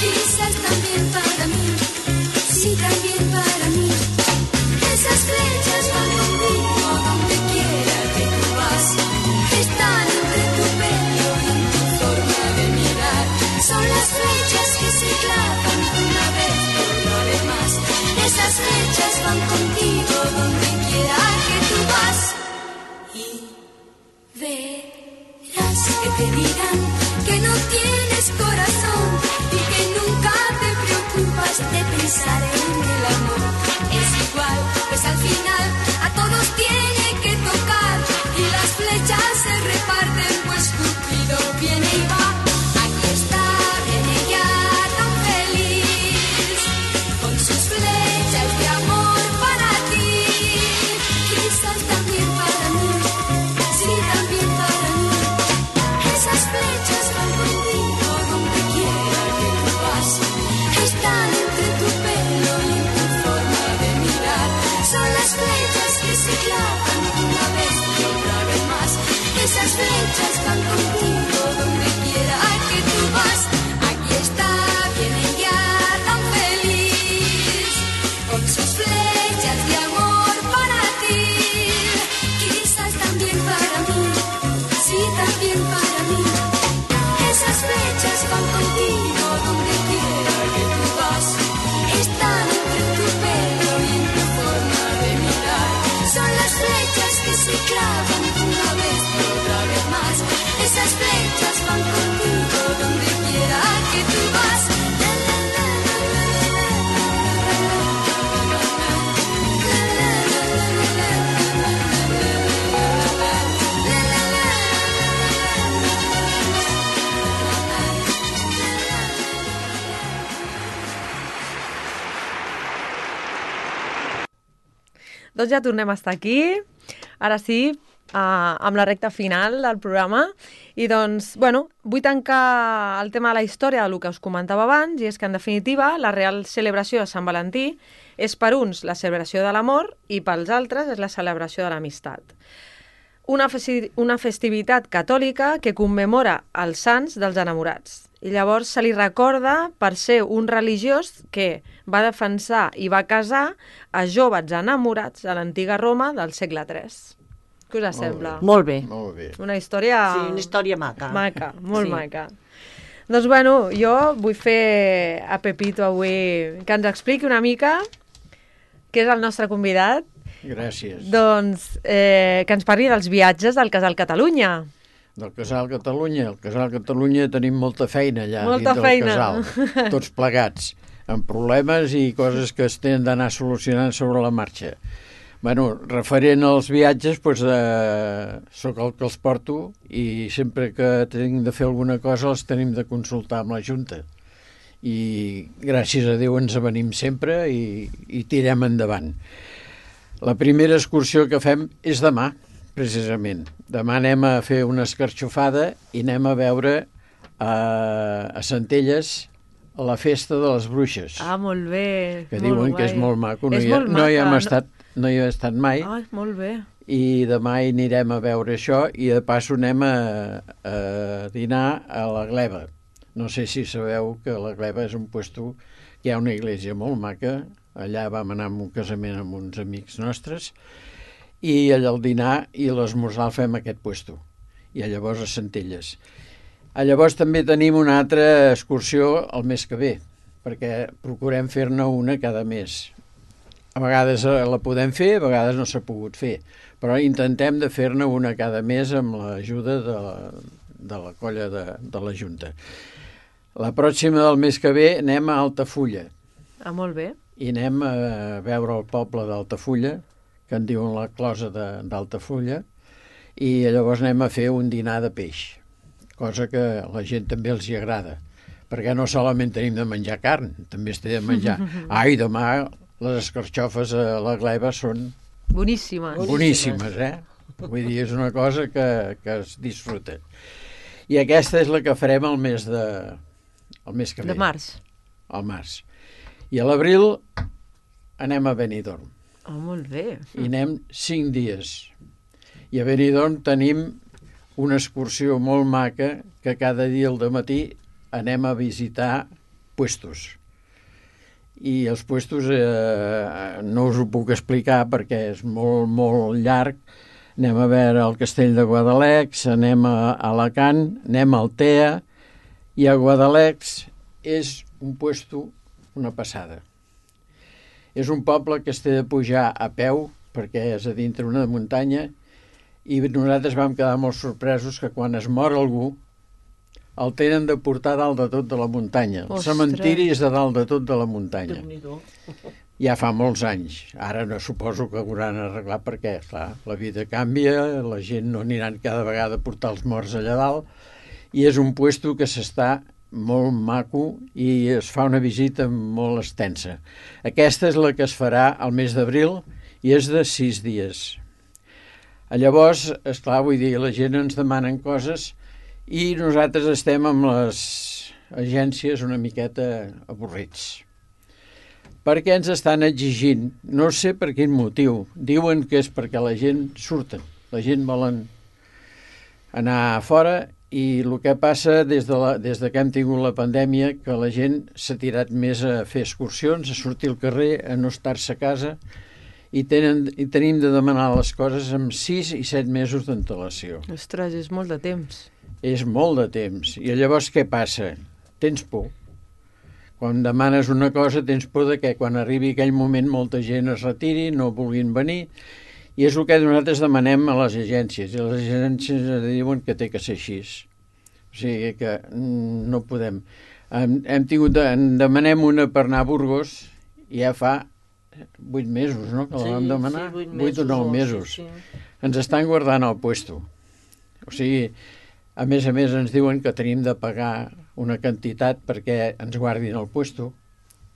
quizás también para mí, sí también para mí. Esas flechas van conmigo donde quiera que tú vas, están entre tu pelo y en tu forma de mirar. Son las flechas que se clavan una vez y otra vez más. Esas flechas van contigo donde quiera que tú vas. Y verás que te dirán que no tienes corazón y que nunca te preocupas de pensar en el amor. Es igual, pues al final a todos tiene que tocar y las flechas se reparten, pues Cupido viene y va. Aquí está, viene ya tan feliz, con sus flechas de amor para ti, quizás también para mí, sí también para mí. Esas flechas van contigo donde quiera que tú vas, están entre tu pelo y en tu forma de mirar. Son las flechas que se clavan una vez y otra vez más. Esas flechas van contigo donde quiera que tú vas. Aquí está, viene ya tan feliz, con sus flechas de amor para ti, quizás también para mí, sí también para mí. Esas flechas van contigo donde quiera que tú vas, están entre tu pelo y en tu forma de mirar. Son las flechas que se clavan una vez y otra vez más. Esas flechas van contigo donde quiera que tú vas. La, la, la, la, la, la, la, la, la, la, doncs ja tornem a estar aquí. Ara sí, uh, amb la recta final del programa. I doncs, bueno, vull tancar el tema de la història del que us comentava abans, i és que, en definitiva, la real celebració de Sant Valentí és per uns la celebració de l'amor i pels altres és la celebració de l'amistat. Una, festi una festivitat catòlica que commemora els sants dels enamorats. I llavors se li recorda per ser un religiós que va defensar i va casar a joves enamorats a l'antiga Roma del segle tres. Què us sembla? Molt bé. Molt bé. Una història... Sí, una història maca. Maca, molt Sí. maca. Doncs, bueno, jo vull fer a Pepito avui que ens expliqui una mica, que és el nostre convidat, Gràcies. doncs eh, que ens parli dels viatges del Casal Catalunya. Del Casal Catalunya. Al Casal Catalunya tenim molta feina allà Molta dins feina. del casal, tots plegats, amb problemes i coses que es tenen d'anar solucionant sobre la marxa. Bueno, referent als viatges, doncs, eh, sóc el que els porto i sempre que tenim de fer alguna cosa els tenim de consultar amb la Junta. I gràcies a Déu ens avenim sempre i, i tirem endavant. La primera excursió que fem és demà, precisament. Demà anem a fer una escarxofada i anem a veure a, a Centelles la festa de les bruixes, Ah, molt bé. que molt diuen que guai. és molt maco. No, És hi, ha, molt no hi hem maca, estat, no hi he estat mai. Ah, molt bé. I demà hi anirem a veure això i de passo anem a, a dinar a la Gleva. No sé si sabeu que la Gleva és un puesto, hi ha una església molt maca, allà vam anar a un casament amb uns amics nostres i allà el dinar i l'esmorzar el fem a aquest puesto i llavors a Centelles. A llavors també tenim una altra excursió el mes que ve, perquè procurem fer-ne una cada mes. A vegades la podem fer, a vegades no s'ha pogut fer, però intentem de fer-ne una cada mes amb l'ajuda de, la, de la colla de, de la Junta. La pròxima del mes que ve anem a Altafulla Ah, molt bé. i anem a veure el poble d'Altafulla, que en diuen la closa d'Altafulla, i llavors anem a fer un dinar de peix, cosa que a la gent també els hi agrada, perquè no solament tenim de menjar carn, també es té de menjar. Ai, demà les escarxofes a la Gleva són Boníssimes. boníssimes, eh? Vull dir, és una cosa que, que es disfruta. I aquesta és la que farem el mes de... el mes que ve. De març. Al març. I a l'abril anem a Benidorm. Ah, molt bé. I anem cinc dies. I a Benidorm tenim una excursió molt maca que cada dia al dematí anem a visitar puestos. I els puestos eh, no us ho puc explicar perquè és molt, molt llarg. Anem a veure el castell de Guadalex, anem a Alacant, anem a Altea, i a Guadalex és un puesto, una passada. És un poble que es té de pujar a peu, perquè és a dintre una muntanya, i nosaltres vam quedar molt sorpresos que quan es mor algú el tenen de portar dalt de tot de la muntanya. El Ostres. cementiri és de dalt de tot de la muntanya. Déu-n'hi-do. Ja fa molts anys. Ara no suposo que ho hauran arreglat perquè, clar, la vida canvia, la gent no aniran cada vegada a portar els morts allà dalt, i és un puesto que s'està molt maco i es fa una visita molt extensa. Aquesta és la que es farà al mes d'abril i és de sis dies. Llavors, esclar, vull dir, la gent ens demanen coses i nosaltres estem amb les agències una miqueta avorrits. Perquè ens estan exigint, no sé per quin motiu, diuen que és perquè la gent surten, la gent volen anar a fora i el que passa des de, la, des de que hem tingut la pandèmia que la gent s'ha tirat més a fer excursions, a sortir al carrer, a no estar-se a casa i, tenen, i tenim de demanar les coses amb sis i set mesos d'antelació. Ostres, és molt de temps. És molt de temps. I llavors què passa? Tens por. Quan demanes una cosa tens por de que quan arribi aquell moment molta gent es retiri, no vulguin venir, i és el que nosaltres demanem a les agències, i les agències diuen que té que ser així. O sigui que no podem. Hem, hem tingut de, en demanem una per anar a Burgos, i ja fa vuit mesos, no?, que la vam demanar. Sí, vuit, Vuit o nou mesos. Sí, sí. Ens estan guardant el puesto. O sigui, a més a més ens diuen que tenim de pagar una quantitat perquè ens guardin el puesto.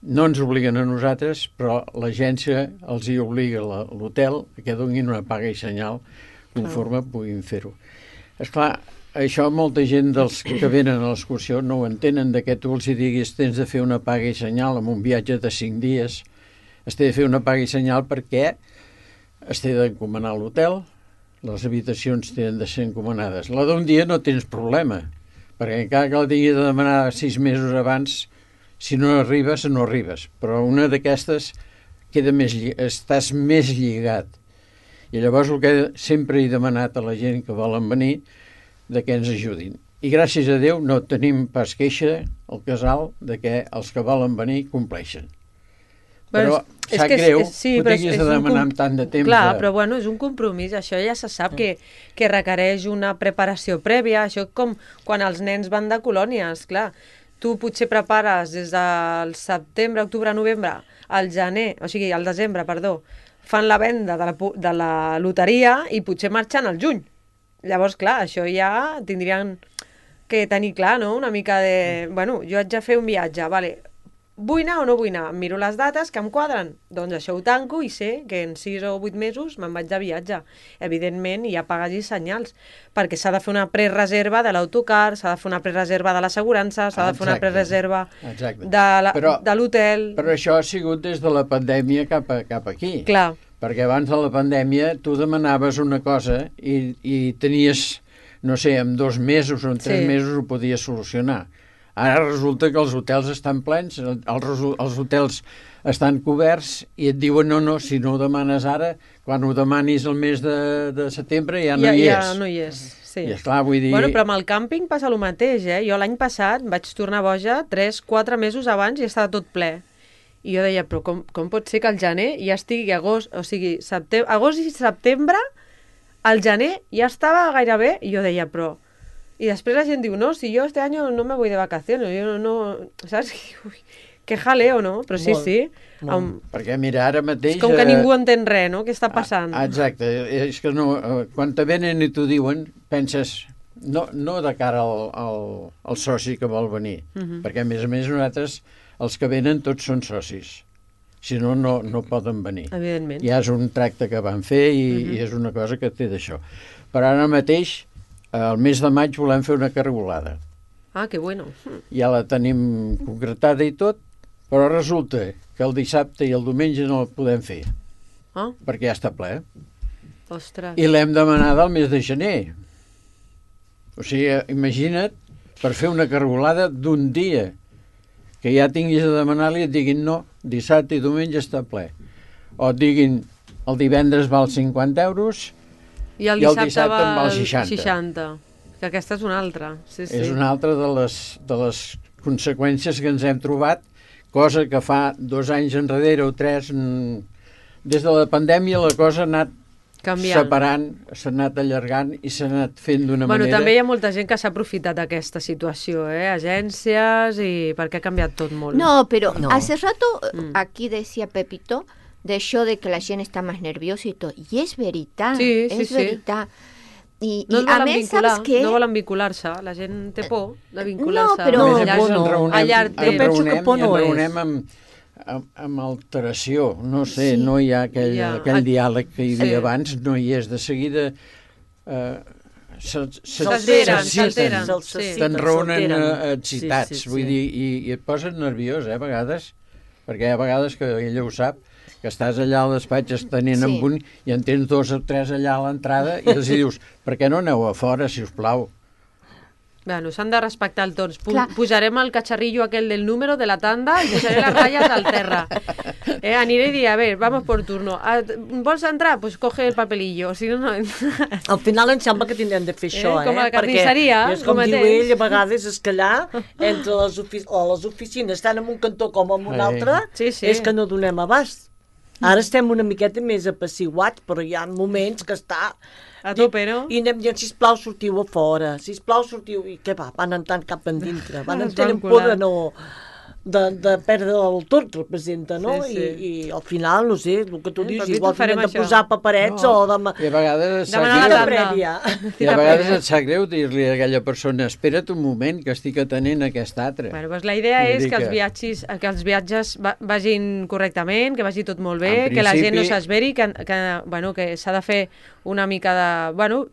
no ens obliguen a nosaltres, però l'agència els hi obliga a l'hotel que donin una paga i senyal conforme puguin fer-ho. Esclar, això molta gent dels que venen a l'excursió no ho entenen, de que tu els hi diguis tens de fer una paga i senyal amb un viatge de cinc dies, es té de fer una paga i senyal perquè es té d'encomanar l'hotel, les habitacions tenen de ser encomanades. La d'un dia no tens problema, perquè encara que la tingui de demanar sis mesos abans, si no arribes, no arribes. Però una d'aquestes queda més, estàs més lligat. I llavors el que sempre he demanat a la gent que volen venir de que ens ajudin. I gràcies a Déu no tenim pas queixa al casal de que els que volen venir compleixen. Però és sap que és- greu és- sí, que ho però és- tinguis és de un demanar com- amb tant de temps. Clar, de- però bueno, és un compromís, això ja se sap que, que requereix una preparació prèvia, això com quan els nens van de colònies, clar. Tu potser prepares des del setembre, octubre, novembre, al gener, o sigui, al desembre, perdó, fan la venda de la, pu- de la loteria i potser marxen al juny. Llavors, clar, això ja tindrien que tenir clar, no?, una mica de... Bueno, jo haig de fer un viatge, vale, vull anar o no vull anar? Em miro les dates que em quadren. Doncs això ho tanco i sé que en sis o vuit mesos me'n vaig de viatge. Evidentment, hi ha pagues i senyals, perquè s'ha de fer una prereserva de l'autocar, s'ha de fer una prereserva de l'assegurança, s'ha de fer una Exacte. prereserva Exacte. de la- Però- de l'hotel... Però això ha sigut des de la pandèmia cap, a, cap aquí. Clar. Perquè abans de la pandèmia tu demanaves una cosa i, i tenies, no sé, en dos mesos o en tres Sí. mesos ho podies solucionar. Ara resulta que els hotels estan plens, els, resu- els hotels estan coberts i et diuen no, no, si no ho demanes ara, quan ho demanis el mes de, de setembre ja no ja, hi ja és. no hi és, sí. I esclar, vull dir... Bueno, però amb el càmping passa el mateix, eh? Jo l'any passat vaig tornar boja tres quatre mesos abans i estava tot ple. I jo deia, però com, com pot ser que al gener ja estigui agost, o sigui, septem agost i setembre, al gener ja estava gairebé, i jo deia, però... I després la gent diu, no, si yo este año no me voy de vacaciones, yo no, no ¿sabes? Uy, que jaleo, no? Però sí, Molt, sí. molt. Amb... Perquè mira, ara mateix... És com que eh, ningú entén res, no? Què està passant? Ah, exacte, és que no, eh, quan te venen i t'ho diuen, penses, no, no de cara al, al, al soci que vol venir, Mhm. perquè a més a més nosaltres, els que venen tots són socis, si no, no, no poden venir. Evidentment. Ja és un tracte que van fer i, Mhm. i és una cosa que té d'això. Però ara mateix, al mes de maig volem fer una cargolada. Ah, que bueno. Ja la tenim concretada i tot, però resulta que el dissabte i el diumenge no la podem fer, Ah, perquè ja està ple. ostres. I l'hem demanada al mes de gener. O sigui, imagina't, per fer una cargolada d'un dia, que ja tinguis de demanar-li i et diguin no, dissabte i diumenge està ple. O et diguin el divendres val cinquanta euros I el i el dissabte, dissabte en val val seixanta. seixanta. Que aquesta és una altra. Sí, sí. És una altra de les, de les conseqüències que ens hem trobat, cosa que fa dos anys enrere o tres, mm, des de la pandèmia la cosa ha anat Canviant. separant, s'ha anat allargant i s'ha anat fent d'una Bueno, manera... també hi ha molta gent que s'ha aprofitat d'aquesta situació, eh? Agències, i perquè ha canviat tot molt. No, pero No. hace rato eh, Mm. aquí decía Pepito de eso de que la gente está más nerviosa y todo. Y es verdad, Sí, sí, es sí. verdad. Y, No y es a volen mí, vincular, ¿sabes qué? no volen vincular-se. La gent té por de vincular-se. No, però- A No, més a Allà- més, por ens no. reunem, A llarg ens temps. Jo penso que reunem, por i no ens és. reunem amb, amb, amb alteració. No sé, Sí. no hi ha aquell, Ja. aquell diàleg que hi havia Sí. abans, no hi és. De seguida eh, se- se- S'alteren, s'exciten. s'alteren. Se'ls Sí. exciten, Te'n reúnen s'alteren. eh, excitats, Sí, sí, vull sí. dir, i, i et posen nerviós, eh, a vegades, perquè hi ha vegades que ella ho sap, que estàs allà al despatx estenent Sí. amb un i en tens dos o tres allà a l'entrada i els hi dius, per què no aneu a fora, si us plau? Bueno, s'han de respectar el torns. Pu Clar. Pujarem el catxarrillo aquel del número de la tanda i posaré les ratlles al terra. Eh, aniré i diré, a ver, vamos por turno. Ah, vols entrar? Pues coge el papelillo. Si no, no... Al final em sembla que tindrem de fer Eh, això, eh? com a la carnisseria, Perquè, és com el diu mateix. ell, a vegades és que allà, entre les, ofici o les oficines, tant en un cantó com en un Sí. altre, Sí, sí. és que no donem abast. Ara estem una miqueta més apaciguats, però hi ha moments que està... A tope, no? I anem dient, sisplau, sortiu a fora, sisplau, sortiu... I què va? Van entrant cap endintre, van Es en tenen van por colar. de no... de, de perdre el tot, representa, no? Sí, sí. I, I al final, no sé, el que tu Eh, dius, per mi igual t'ho farem hem de això. posar paperets No. o de... I a vegades et sap Demanar la greu, tanda. prèvia. i a vegades et sap greu dir-li a aquella persona espera't un moment que estic atenent aquest altre. Bueno, doncs la idea Vull és dir que els, que- viatges, que els viatges va, vagin correctament, que vagi tot molt bé, En que la gent no principi- s'esveri, que, que, bueno, que s'ha de fer una mica de... Bueno,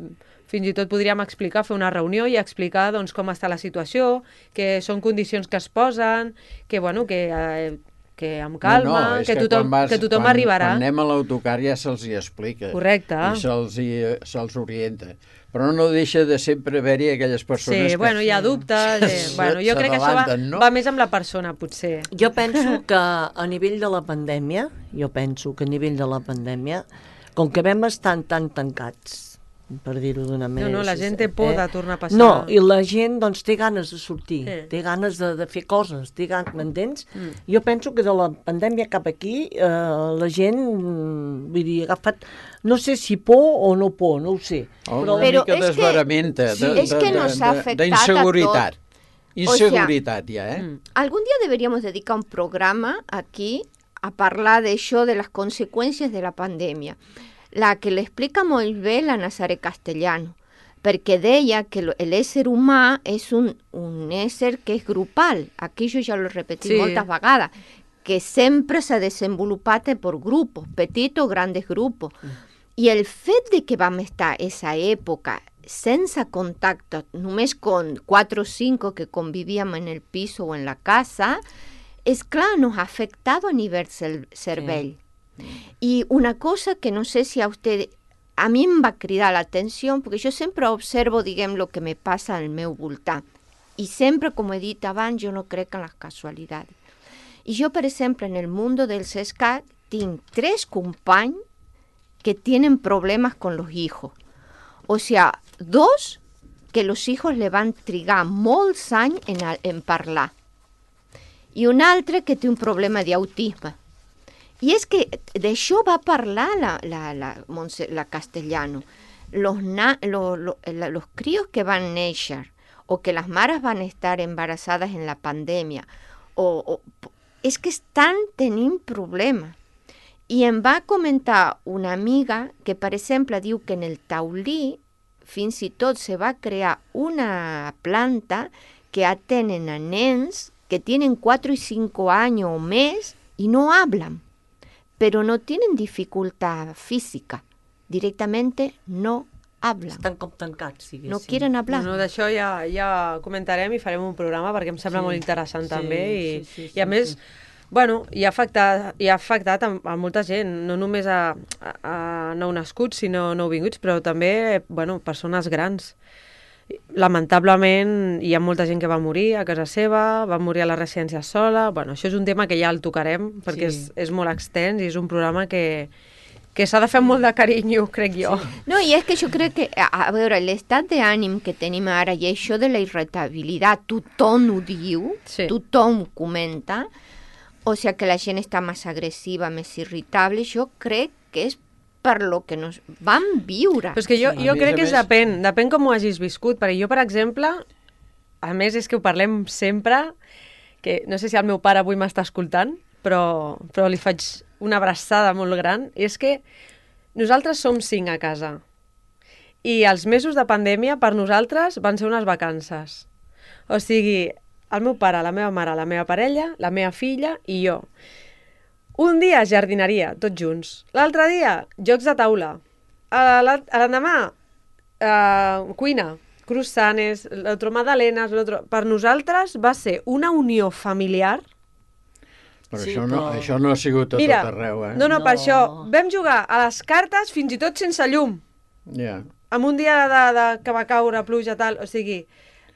fins i tot podríem explicar, fer una reunió i explicar doncs, com està la situació, que són condicions que es posen, que, bueno, que, eh, que amb calma, no, no, és que, tothom, quan vas- que tothom quan, arribarà. Quan anem a l'autocar ja se'ls hi explica. Correcte. I se'ls hi- se'ls orienta. Però no deixa de sempre haver-hi aquelles persones Sí, que... bueno, hi ha dubtes. Eh. Bueno, jo crec que això va, s'adavanten, no? va més amb la persona, potser. Jo penso que a nivell de la pandèmia, jo penso que a nivell de la pandèmia, com que vam estar tan tancats, per dir-ho d'una No, manera... no, la així, gent té por de tornar a passar. No, i la gent doncs té ganes de sortir, Sí. té ganes de, de fer coses, té ganes, m'entens? Mm. Jo penso que de la pandèmia cap aquí eh, la gent, mm, vull dir, ha agafat, no sé si por o no por, no ho sé. Oh, Però una Pero mica es que- d'esveramenta, sí, de, es de, que de, nos ha de, afectado d'inseguritat. a tot. Inseguridad ya, ¿eh? Mm. Algún día deberíamos dedicar un programa aquí a hablar de eso, de las consecuencias de la pandemia. La que le explica molt bé la Nazaré Castellano, perquè deia que lo- el ésser humà és un, un ésser que és grupal. Aquí jo ja l'he repetit Sí. moltes vegades, que sempre s'ha desenvolupat per grupos, petits o grandes grupos. I el fet de que vam estar esa època sense contacte, només con quatre o cinco que convivíem en el piso o en la casa, és clar, nos ha afectado a nivell cel- cervell. I una cosa que no sé si a usted, a mi em va cridar l'atenció, perquè jo sempre observo, diguem, el que me passa al meu voltant. I sempre, com he dit abans, jo no crec en les casualitats. I jo, per exemple, en el mundo del CESCAC, tinc tres companys que tienen problemas con los hijos. O sea, dos que los hijos le van trigar molts anys en, a- en parlar. I un altre que té un problema d'autisme. I és que d'això va parlar la, la, la, Montse, la Castellano. Los, na, lo, lo, la, los críos que van néixer o que les mares van estar embarassades en la pandèmia, o, o, és que estan tenint problemes. I em va comentar una amiga que, per exemple, diu que en el taulí fins i tot se va crear una planta que atenen a nens que tienen cuatro y cinco años o més y no hablan, pero no tienen dificultad física, directamente no hablan, estan com tancats, diguéssim. no quieren hablar. No, no, d'això ja, ja comentarem i farem un programa perquè em sembla Sí, molt interessant sí, també i, sí, sí, sí, i a més, sí. bueno, hi ha afectat, hi ha afectat a, a molta gent, no només a, a, a nouvinguts, sinó nouvinguts, però també, bueno, persones grans. Lamentablement hi ha molta gent que va morir a casa seva, va morir a la residència sola, bueno, això és un tema que ja el tocarem perquè Sí. és, és molt extens i és un programa que, que s'ha de fer amb molt de carinyo, crec jo. No, i és que jo crec que, a, a veure, l'estat d'ànim que tenim ara i això de la irritabilitat, tothom ho diu, Sí. tothom ho comenta, o sigui que la gent està més agressiva, més irritable, jo crec que és per lo que nos vam viure. Però és que jo, Sí. jo A més crec a que és més- depèn, depèn com ho hagis viscut, perquè jo, per exemple, a més és que ho parlem sempre, que no sé si el meu pare avui m'està escoltant, però, però li faig una abraçada molt gran, i és que nosaltres som cinc a casa, i els mesos de pandèmia per nosaltres van ser unes vacances. O sigui, el meu pare, la meva mare, la meva parella, la meva filla i jo. Un dia jardineria, tots junts. L'altre dia, jocs de taula. A la- a l'endemà, eh, cuina, croissants, l'altre magdalenes, l'altre... Per nosaltres va ser una unió familiar. Però Sí, això, no, però- això no ha sigut a Mira, tot arreu, eh? no, no, No. per això vam jugar a les cartes fins i tot sense llum. Ja. En un dia de, de, que va caure pluja, tal, o sigui,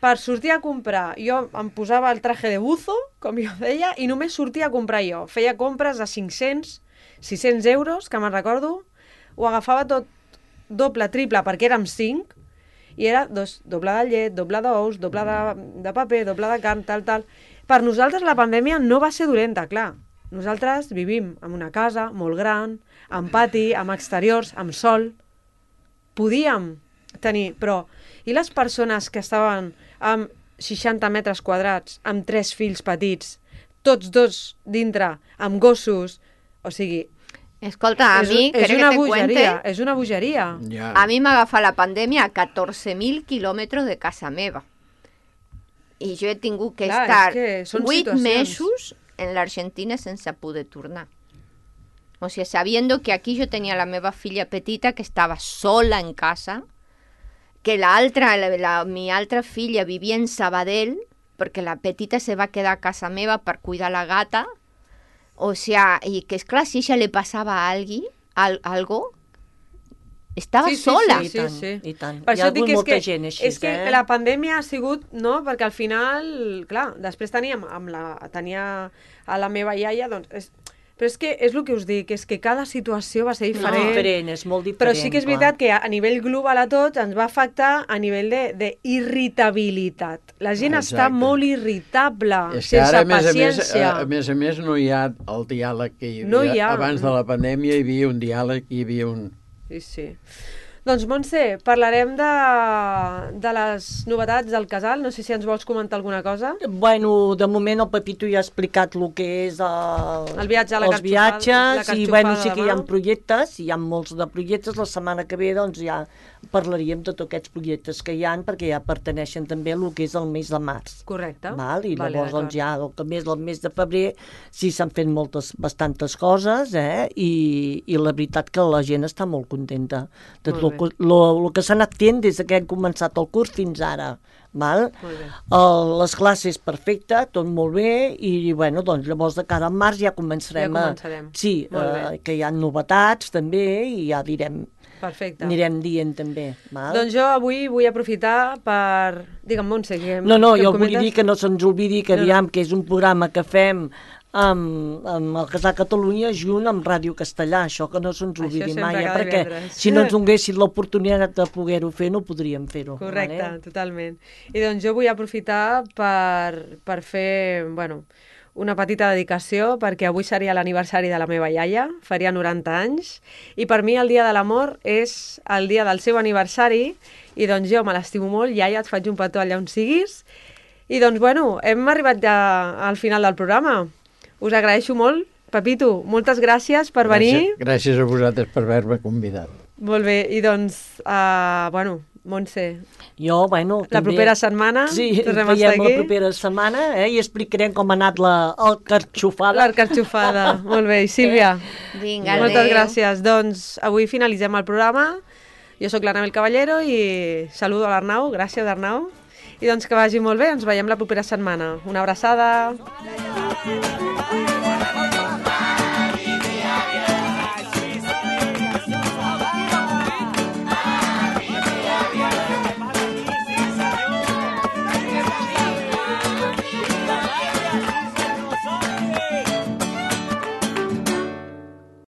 per sortir a comprar, jo em posava el traje de buzo, com jo deia, i només sortia a comprar jo. Feia compres de cinc-cents, sis-cents euros, que me'n recordo, ho agafava tot doble, triple, perquè érem cinc, i era dos, doble de llet, doble d'ous, doble de, de paper, doble de carn, tal, tal. Per nosaltres la pandèmia no va ser dolenta, clar. Nosaltres vivim en una casa molt gran, amb pati, amb exteriors, amb sol. Podíem tenir, però... I les persones que estaven amb seixanta metres quadrats, amb tres fills petits, tots dos dintre, amb gossos, o sigui... Escolta, a és, mi, és ¿querés una que te cuente? bogeria, és una bogeria. Ja. A mi m'agafa la pandèmia a catorze mil quilòmetres de casa meva. I jo he tingut que Clar, estar és que són vuit situacions. mesos en l'Argentina sense poder tornar. O sigui, sabiendo que aquí jo tenia la meva filla petita que estava sola en casa, que l'altra, la, la, mi altra filla vivia en Sabadell, perquè la petita se va quedar a casa meva per cuidar la gata. O sea, y que es claro, si ella le pasaba a alguien al, algo, estava Sí, sí, sola. sí, sí, sí. I tant. Per Hi ha això dic hagut que és molta que, gent així, és que eh? la pandèmia ha sigut, no? Perquè al final, clar, després teníem amb la, tenia a la meva iaia, doncs... És, però és que és el que us dic, és que cada situació va ser No, diferent. diferent, és molt diferent. Però sí que és veritat clar. que a, a nivell global a tots ens va afectar a nivell d'irritabilitat. La gent Exacte. està molt irritable, És que sense ara, a més a més, paciència. a, a més a més, no hi ha el diàleg que hi havia. No hi ha. Abans de la pandèmia hi havia un diàleg, hi havia un... Sí, sí. Doncs, Montse, parlarem de, de les novetats del casal. No sé si ens vols comentar alguna cosa. Bueno, de moment el Pepito ja ha explicat el que és el, El viatge a la els carxofada- viatges, la i bueno, sí carxofada que hi ha demà. projectes, hi ha molts de projectes. La setmana que ve doncs ja parlaríem de tots aquests projectes que hi ha, perquè ja perteneixen també a el que és el mes de març. Correcte. Val? I Vale, llavors d'acord. doncs, ja el que més el mes de febrer sí s'han fet moltes, bastantes coses, eh? I, i la veritat que la gent està molt contenta de Molt tot el, lo, lo que s'ha anat fent des que hem començat el curs fins ara. Val? Molt bé. El, les classes perfecte, tot molt bé, i bueno, doncs llavors de cara al març ja començarem, Ja començarem. a... Sí, Molt bé. eh, que hi ha novetats també, i ja direm, Perfecte. anirem dient també. Val? Doncs jo avui vull aprofitar per... Digue'm, Montse, que... No, no, que em jo vull comentes? dir que no se'ns oblidi que, No, no. aviam, que és un programa que fem amb, amb el Casal Catalunya junt amb Ràdio Castellà, això que no se'ns Això oblidi sempre mai, eh, cada perquè divendres. si no ens donguessin l'oportunitat de poder-ho fer, no podríem fer-ho. Correcte, vale? totalment. I doncs jo vull aprofitar per, per fer, bueno, una petita dedicació, perquè avui seria l'aniversari de la meva iaia, faria noranta anys, i per mi el dia de l'amor és el dia del seu aniversari, i doncs jo me l'estimo molt, iaia, et faig un petó allà on siguis, i doncs, bueno, hem arribat ja al final del programa. Us agraeixo molt. Pepito, moltes gràcies per venir. Gràcies, gràcies a vosaltres per haver-me convidat. Molt bé, i doncs, uh, bueno, Montse, Jo, bueno, la també... propera setmana Sí, tornem a veiem estar la aquí. propera setmana, eh, i explicarem com ha anat la, el carxofada. L'arcarxofada. Molt bé, i Sílvia, Vinga, moltes adéu. gràcies. Doncs avui finalitzem el programa. Jo sóc l'Anabel Caballero i saludo a l'Arnau. Gràcies, Arnau. I doncs que vagi molt bé. Ens veiem la propera setmana. Una abraçada.